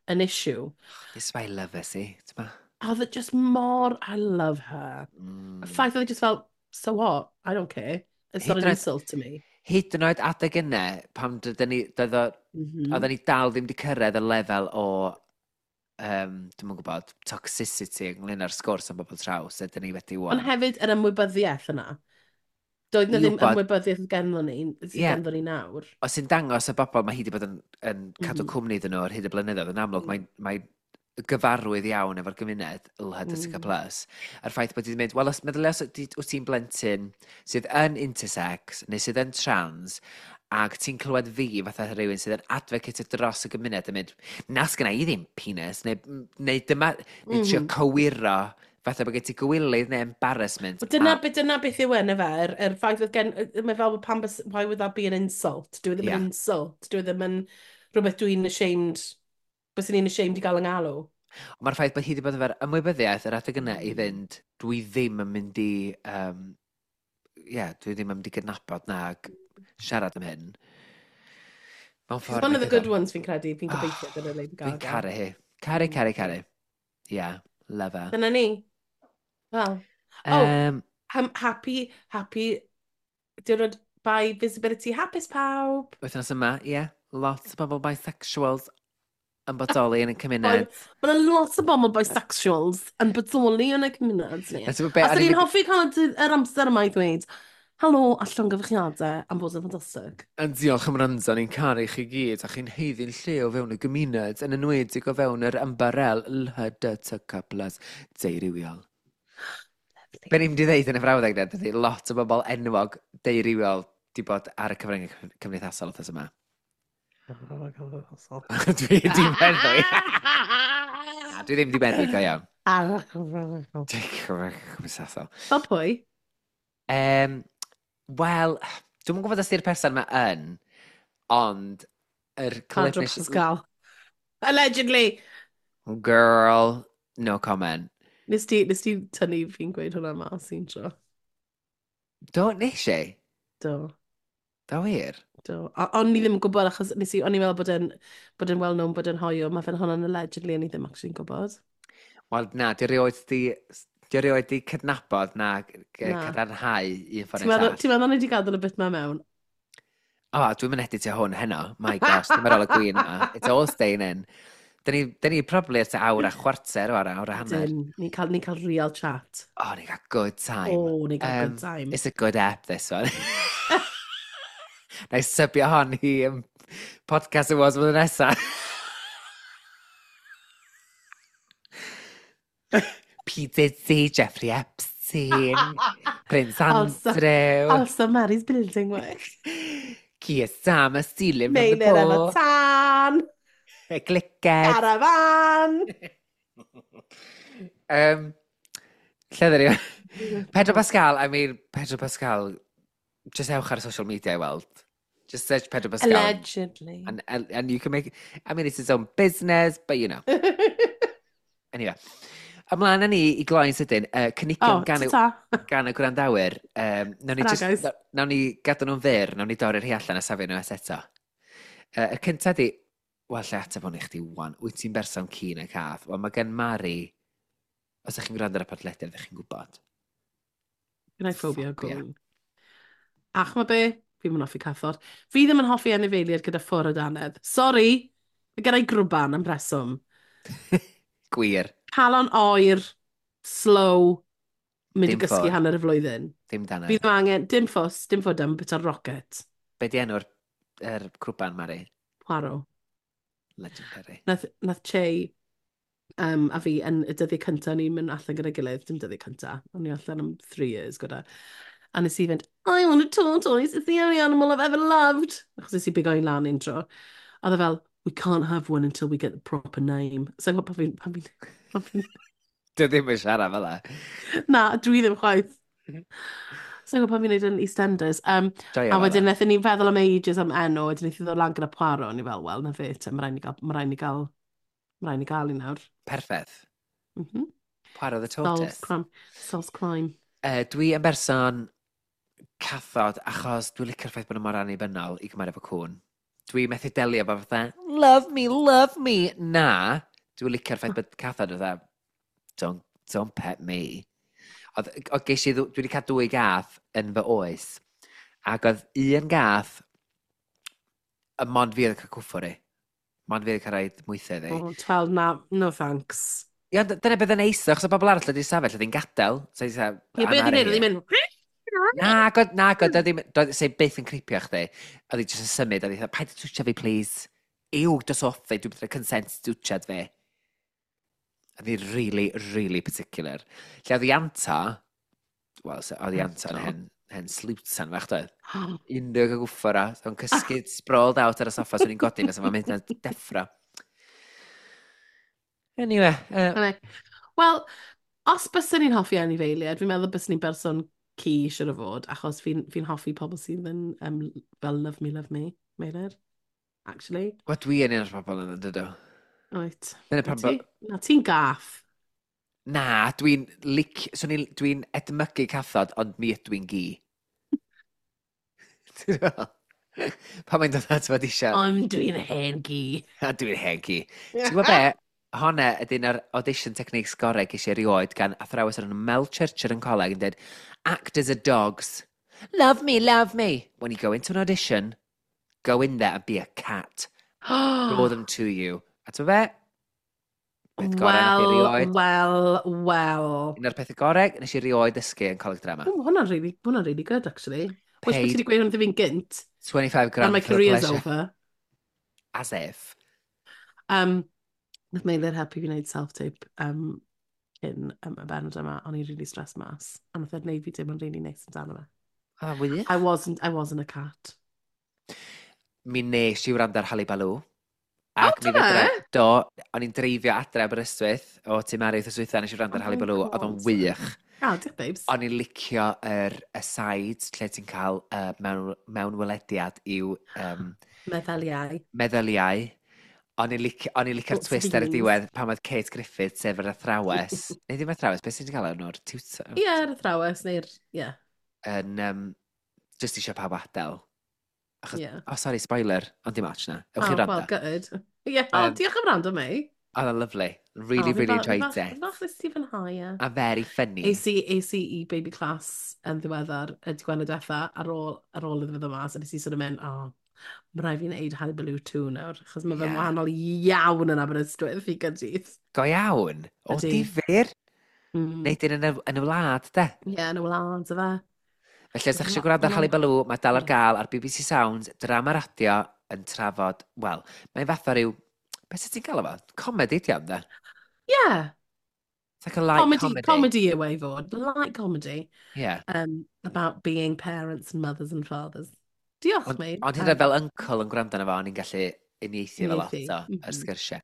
an issue? This is why I love her, see? Oedd it just mor, I love her. Mm. Y ffaith oedd it just felt, so what? I don't care. It's not an insult to me. Hyd yn oed adeg yna, pam dydyn ni, doedd o, mm -hmm. oedden ni dal ddim wedi cyrraedd y lefel o, um, dwi'm yn gwybod, toxicity ynglyn â'r sgwrs am bobl traws, ydyn ni wedi wan. Ond hefyd yr ymwybyddiaeth yna. Doedd na ddim ymwybyddiaeth ganddo ni, sydd yeah. ganddo ni nawr. Os sy'n dangos y bobl mae hi wedi bod yn, yn cadw mm -hmm. cwmni iddyn nhw ar hyd y blynyddoedd, yn amlwg, mm. mae, mae gyfarwydd iawn efo'r gymuned L H D T Q plus. Mm. A'r ffaith bod hi wedi mynd, wel, os meddylia os wyt ti'n blentyn sydd yn intersex neu sydd yn trans, ac ti'n clywed fi fatha rhywun sydd yn advocate dros y gymuned yn mynd, na sgynna i ddim penis, neu, neu dyma, neu trio mm. cywiro, fatha bod gen ti gywilydd neu embarrassment. Well, dyna, a... dyna beth yw yn efe, yr, yr ffaith oedd gen, mae fel pam, why would that be an insult? Dwi ddim yeah. yn insult, dwi ddim yn rhywbeth dwi'n ashamed, byswn i'n ashamed i gael yng ngalw. Ond mae'r ffaith bod hi wedi bod efo'r ymwybyddiaeth yr adeg yna i fynd, dwi ddim yn mynd i, um, yeah, dwi ddim yn mynd i gydnabod nag siarad am hyn. Mewn ffordd... One of the good ones fi'n credu, fi'n gobeithio gyda Lady Gaga. Fi'n caru hi. Caru, caru, caru. Yeah, love her. Dyna ni. Well, oh, um, happy, happy, diwrnod by visibility hapus pawb. Wythnos yma, ie. Yeah. Lots o bobl bisexuals yn bodoli yn y cymuned. Mae yna lot o bobl bisexuals yn bodoli yn y cymuned. Ni. A swn i'n hoffi cael yr amser yma i ddweud, helo a llongyfarchiadau am fod yn ffantastig. A diolch am wrando, ni'n caru chi gyd, a chi'n haeddu'n lle o fewn y gymuned, yn enwedig o fewn yr ymbarel L H D T Q plus deurywiol. Be ni'n mynd i ddeud yn y frawddeg na, dydy lot o bobl enwog deurywiol di bod ar y cyfryngau cymdeithasol wythnos yma. Dwi di meddwl. Dwi ddim di meddwl, go iawn. Ar y cyfryngau cymdeithasol. Fel pwy? Um, Wel, dwi'm yn gwybod os di'r person yma yn, ond yr clip... Pedro Pascal. Allegedly! Girl, no comment. Nes ti, nes ti tynnu fi'n gweud hwnna mas un tro? Do, nes i? Do. Do wir? Do. A, o'n i ddim yn gwybod achos nes i, o'n i'n meddwl bod e'n bod e'n well known bod e'n hoyw. Mae fe'n hwnna'n allegedly, o'n i ddim actually'n gwybod. Wel, na, di rioed di, di rioed di cydnabod na, na. cadarnhau un ffordd neu'r llall. Ti'n meddwl o'n i wedi gadael y bit ma mewn? O, oh, dwi'n mynd editio hwn heno. My gosh, dim ar ôl y gwin yma. It's all staying in. Dyn ni, dyn ni probably at awr a chwarter o awr a hanner. Dyn, ni'n cael, ni cael real chat. Oh, ni'n cael good time. Oh, ni'n cael um, good time. It's a good app, this one. Na i sybio hon i um, podcast awards flwyddyn nesaf. P. Diddy, Jeffrey Epstein, Prince Andrew. Also, also Mary's building work. Keir Starmer stealing from the poor. Meilir efo tân. Y gliced. Caravan. um, lle ddyn ni? Pedro Pascal, I mean, Pedro Pascal, just ewch ar social media i weld. Just search Pedro Pascal. Allegedly. And, and, and you can make, I mean, it's his own business, but you know. Anyway. Ymlaen â ni i gloi'n sydyn, uh, cynigion oh, gan, y, gan y gwrandawyr. Um, nawn ni, just, nawn ni gadw nhw'n fyr, nawn ni dorri'r hi allan a safio nhw es eto. Uh, y cyntaf di, wel, lle ateb hwn i chdi wan, wyt ti'n berson ci neu cath? Wel, mae gen Mari, os ydych chi'n gwrando ar y podlediad, ydych chi'n gwybod. Gen i ffobia gwn. Ach, mae be, fi ddim yn hoffi cathod. Fi ddim yn hoffi anifeiliaid gyda ffwr o danedd. Sorry, mae gen i grwban am reswm. Gwir. Calon oer, slow, mynd i gysgu hanner y flwyddyn. Dim danedd. Fi ddim angen, dim ffws, dim ffwd am bit o'r rocket. Be di enw'r er crwban, Mari? Poirot. Legendary. Nath, nath Che um, a fi yn y dyddiau cyntaf ni'n mynd allan gyda'i gilydd, dim dyddiau cyntaf, o'n i allan am three years gyda. A nes i fynd, I want a tortoise, it's the only animal I've ever loved. Achos nes i bigo un lan un tro. A oedd e fel, we can't have one until we get the proper name. So pan fi'n... Pan fi'n... Pan fi'n... Dwi ddim yn siarad fel 'na. Na, dwi ddim chwaith. So pan fi'n neud yn EastEnders. Um, Joio a wedyn wnaethon ni feddwl am ages am enw, wedyn wnaethon ni ddod lan gyda Poirot, o'n i fel, wel, na fe, te, mae rhaid ni gael, mae rhaid ni gael, mae rhaid ni gael un nawr. Perffaith. Mm -hmm. Poirot the Tortoise. Solves crime. Solves crime. Uh, dwi yn berson cathod achos dwi'n licio'r ffaith bod nhw mor annibynnol i gymharu efo cŵn. Dwi methu delio efo fatha, love me, love me. Na, dwi'n licio'r ffaith bod cathod fatha, don't, don't pet me. Oedd, oedd ges i, dwi wedi cael dwy gath yn fy oes, ac oedd un gath, y mond fi oedd yn cael cwffwr i. Mond fi oedd yn cael rhaid mwythau iddi. Oh, twelve, na, no thanks. Ie, ond dyna beth yn neis, achos o bobl arall wedi safell, oedd hi'n gadael. So, Ie, beth oedd hi'n neud, oedd hi'n mynd... Na, god, na, god, doedd ddim, doedd, se byth yn creepio chdi. Oedd hi jyst yn symud, oedd hi dweud, paid twtio fi, please. Ew, dos off fi, dwi'n bydd consent twtsiad fi. Oedd hi really, really particular. Lle oedd hi anta, wel, oedd hi anta yn hen, hen slwtan fach, doedd. Unrhyw gael gwffo ra, o'n cysgu sprawled out ar y soffa, so ni'n godi, fysa fo'n mynd yn deffro. Anyway. Uh, Wel, os byswn ni'n hoffi anifeiliaid, fi'n meddwl byswn ni'n berson ci siwr o fod, achos fi'n fi hoffi pobl sydd yn um, fel love me, love me, Meilir, actually. Wel, dwi yn un o'r pobl yna, dydw. Oet. Dyna pam bo... Na, ti'n gaff. Na, dwi'n lic... So dwi'n dwi edmygu cathod, ond mi ydw i'n gi. Ti'n meddwl? Pan mae'n dod at fod eisiau... Ond dwi'n hen gi. A dwi'n hen gi. Ti'n gwybod be? Honna ydy'n yr audition techniques gorau ges i erioed gan athrawes ar enw Mel Churcher yn coleg yn dweud, actors are dogs. Love me, love me. When you go into an audition, go in there and be a cat. Draw them to you. A ti'n be? Peth gorau nath i Wel, erioed. wel, wel. Un o'r pethau gorau nes i erioed dysgu yn coleg drama. Oh, hwnna'n really, hwnna'n really good, actually. Wish bod ti Paid wedi gweud hwn wrth i fi'n gynt. twenty-five grand And my for the career's pleasure. over. As if. Um, nath Meilir helpu fi wneud self-tape um, cyn um, y bennod yma, o'n i'n really stressed mas. A nath e wneud fi teimlo'n really neis amdano fe. Ah, wych. I wasn't, I wasn't a cat. Mi nes i wrando ar Halibalw. Ac O, mi do fedra, fe? do, o'n i'n dreifio adre Aberystwyth o Tŷ Mari wythnos dwytha, nes i wrando ar Oh my Halibalw, oedd o'n God. wych. Ah, diolch, babes. O'n i'n licio yr aside lle ti'n cael uh, mewn, mewnwelediad i'w um, Meddyliau. meddyliau. O'n i'n licio, o'n i'n licio'r Thoughts and twist ar y feelings. diwedd pan oedd Kate Griffith, sef yr athrawes, neu ddim athrawes, beth sy'n gael nhw'r tutor, Ie, yr athrawes, neu'r... Ie, yn um, just eisiau pawb adael. Achos, ie. oh sorry, spoiler, ond dim ots na. Ewch i Oh, wrando. well, good. Ie, oh, Um, diolch am wrando, Mei. Oedd o'n lovely. Really, Oh, fi really fa- fi enjoyed fach- it. Fi fach nes ti fwynhau, ie. A very funny. Es i, es i i baby class yn ddiweddar, y dydd diwetha, ar ôl, ar ôl iddo fe ddod mas, a nes i sort of mynd, oh, mae rhaid fi wneud Hullabaloo two nawr, achos mae fe'n Ie. wahanol iawn yn Aberystwyth i Gaerdydd. Go iawn. O, Ydi. difyr. Mm. Neud un yn y, yn y wlad, de. Ie, yn y wlad, fe. Felly, os ydych chi eisiau Ma- gwrando ar ma' Hullabaloo, mae dal ar Ie. gael ar B B C Sounds, drama radio yn trafod, wel, mae'n fath o ryw, beth sydd ti'n gael efo? Comedy, di ond, de? Ie, It's like a light comedy, comedy. comedy yw e i fod, light comedy, Yeah. um, about being parents and mothers and fathers. Diolch, Ond, mate. ond hyd yn oed fel uncle yn gwrando arno fo, o'n i'n gallu uniaethu efo lot Uniaethu, o yr mhm. sgyrsiau.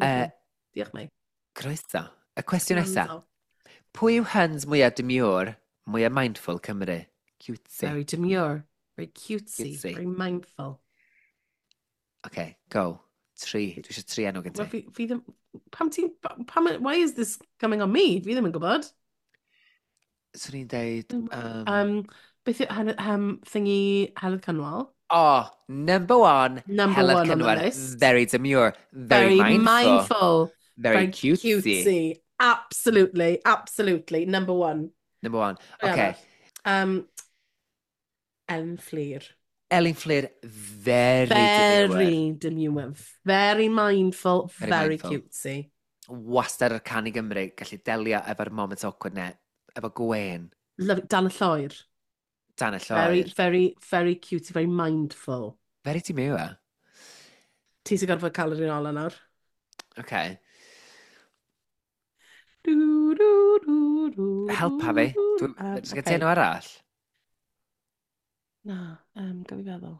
Lovely. Uh, Diolch, mate. Croeso. Y cwestiwn nesaf. Gwrando. Pwy yw Huns mwyaf demure, mwyaf mindful Cymru? Cutesy. Very demure, very cutesy, Cutesy. very mindful. OK, go. Tri. Dwi eisiau tri enw gen Well, ti. fi, fi ddim. Pam ti'n... Pam, why is this coming on me? Fi ddim yn gwybod. Swn i'n deud... Um, Um, beth yw um, um, thingy Heledd Cynwal? Oh, number one, Number Heledd one on the Cynwal. list. Very demure, very, Very mindful, mindful. very cutesy. Cutesy. Absolutely, absolutely. Number one. Number one. Pwy OK. arall? Um, Elin Fflur. Elin Fflur, very, demure. Very demure. Very mindful. Very Very, mindful. cutesy. Wastad ar Cân i Gymru, gallu delio efo'r moment awkward ne, efo gwen. Love, Dan y Lloer. Dan y Very, Lloer. very, very cutesy, very mindful. Very demure. Ti sy'n gorfod cael yr un ola nawr. OK. Du, du, du, du, Helpa fi. du, Dwi- Um, Oes gen okay. ti enw arall? Na, um, gaf i feddwl.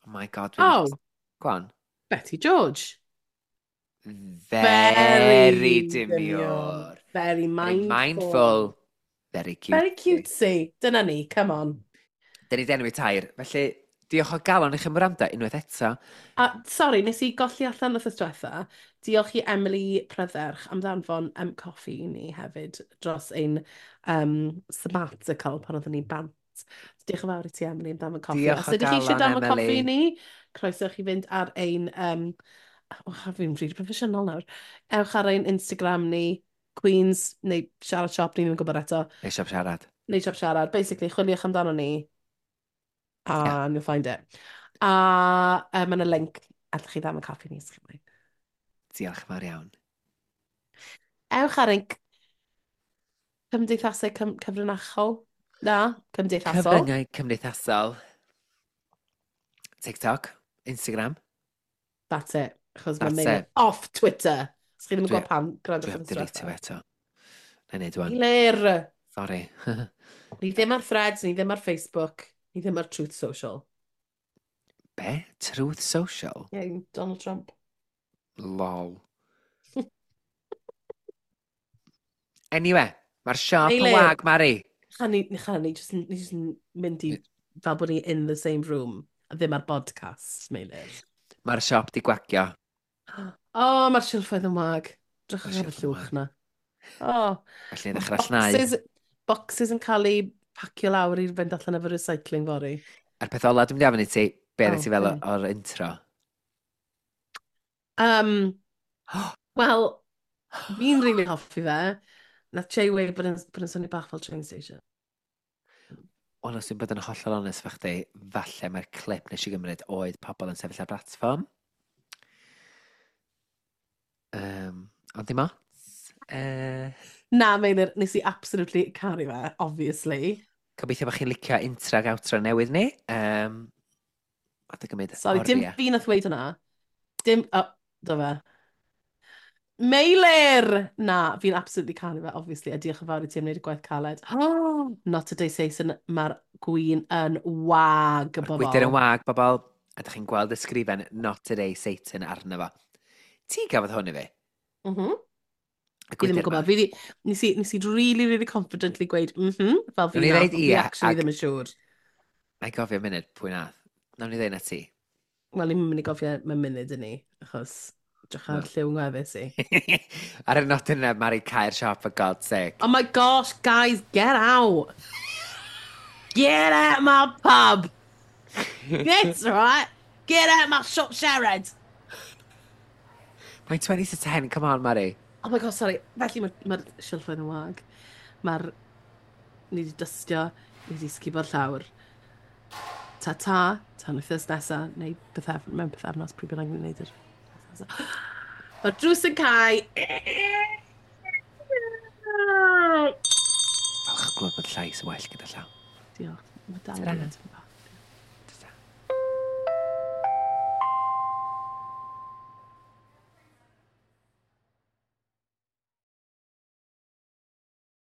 Oh my God. Dwi'n Oh, Go on. Betty George. Very demure. Very Very mindful. mindful. Very cute. Very cutesy. Dyna ni, come on. Dyn ni 'di enwi tair. Felly, diolch o galon i chi am wrando unwaith eto. A, sorry, nes i golli allan wrth diwetha. Diolch i Emily Prydderch am ddanfon um, coffi i ni hefyd dros ein um, sabbatical pan oeddwn ni'n bant. So, diolch yn fawr i ti, Emily, am danfon coffi. Diolch Os o ydych chi eisiau galon, danfon coffi Emily. i ni, croeso i chi fynd ar ein... Um, oh, fi'n rili proffesiynol nawr. Ewch ar ein Instagram ni, Queens, neu Siarad Shop, ni ddim yn gwybod eto. Neu Siop Siarad. Neu Siop Siarad. Basically, chwiliwch amdano ni, a Ie. you'll find it. A uh, mae yna link, allwch chi ddam y coffi ni, os chi moyn. Diolch yn fawr iawn. Ewch ar ein c- cymdeithasau cym cyfrinachol. Na, cymdeithasol. Cyfryngau cymdeithasol. TikTok, Instagram. That's it. Achos mae That's Meilir it. off Twitter. Os chi ddim yn Dwi- gwybod pam, Dwi gwrandwch heb yn delete eto. Na i neud wan. Meilir! Sorry. Ni ddim ar Threads, ni ddim ar Facebook, ni ddim ar Truth Social. Be? Truth Social? Yeah, Donald Trump. Lol. Anyway, mae'r siop yn Meilir. wag, Mari. Chan ni, chan ni, just, ni just yn mynd i, fel bod ni in the same room, a ddim ar podcast, Meilir. Mae'r siop di gwagio. O, oh, mae'r silffoedd yn wag. Drychwch Mae'r ar y silffoedd yn llwch na. Oh, Felly ni ddechrau llnau. boxes, boxes yn cael eu pacio lawr i fynd allan efo recycling fory. A'r peth ola dwi'n mynd i ofyn i ti, be Oh, oh, ti fel be? o'r intro? Um, Wel, fi'n rili hoffi fe. Nath Jay weud bod yn, bod yn swnio bach fel train station. Wel, os dwi'n bod yn hollol onest fo chdi, falle mae'r clip nes i gymryd oedd pobl yn sefyll ar platfform. Um, ond dim ots. Uh, Na, Meilir, nes i absolutely caru fe, obviously. Gobeithio bod chi'n licio intro ag outro newydd ni. Um, a dy gymryd Sorry, dim oriau. fi nath weud hwnna. Dim, oh, do fe. Meilir! Na, fi'n absolutely caru fe, obviously, a diolch yn fawr i ti am wneud y gwaith caled. Oh, not today, Satan, mae'r gwin yn wag, Mae'r bobl. gwydr yn wag, bobl. A dych chi'n gweld y sgrifen "Not today, Satan" arno fo. Ti gafodd hwn i fi? Mm -hmm. Y Fi ddim yn gwydr gwybod. ma. Fi di, nes i, nes i really, really confidently gweud, mhm, fel fi Nawn ni nath, ddeud ond fi ie, actually ag- ddim yn siŵr. Na i gofio munud pwy nath. Nawn ni ddeud na ti. Wel, ni'n mynd i gofio mewn munud yn ni, achos drych ar lliw ngwefus i. Ar y nodyn yna, Mari, cau'r siop, for God's sake. Oh my gosh, guys, get out! Get out my pub! That's right! Get out my shop, Sharad! Mae'n twenty to ten, come on, Mari. Oh my gosh, sorry. Felly mae'r ma silffoedd yn wag. Mae'r... Ni wedi dystio, ni wedi sgubo'r llawr. Ta-ta, tan wythnos nesa, neu pythef, mewn pythefnos, pryd bynnag ni'n neud yr... Mae'r drws yn cau. Falch o glywed bod llais yn well gyda llaw. Diolch. Mae dal Ta-ra. yn tipyn bach.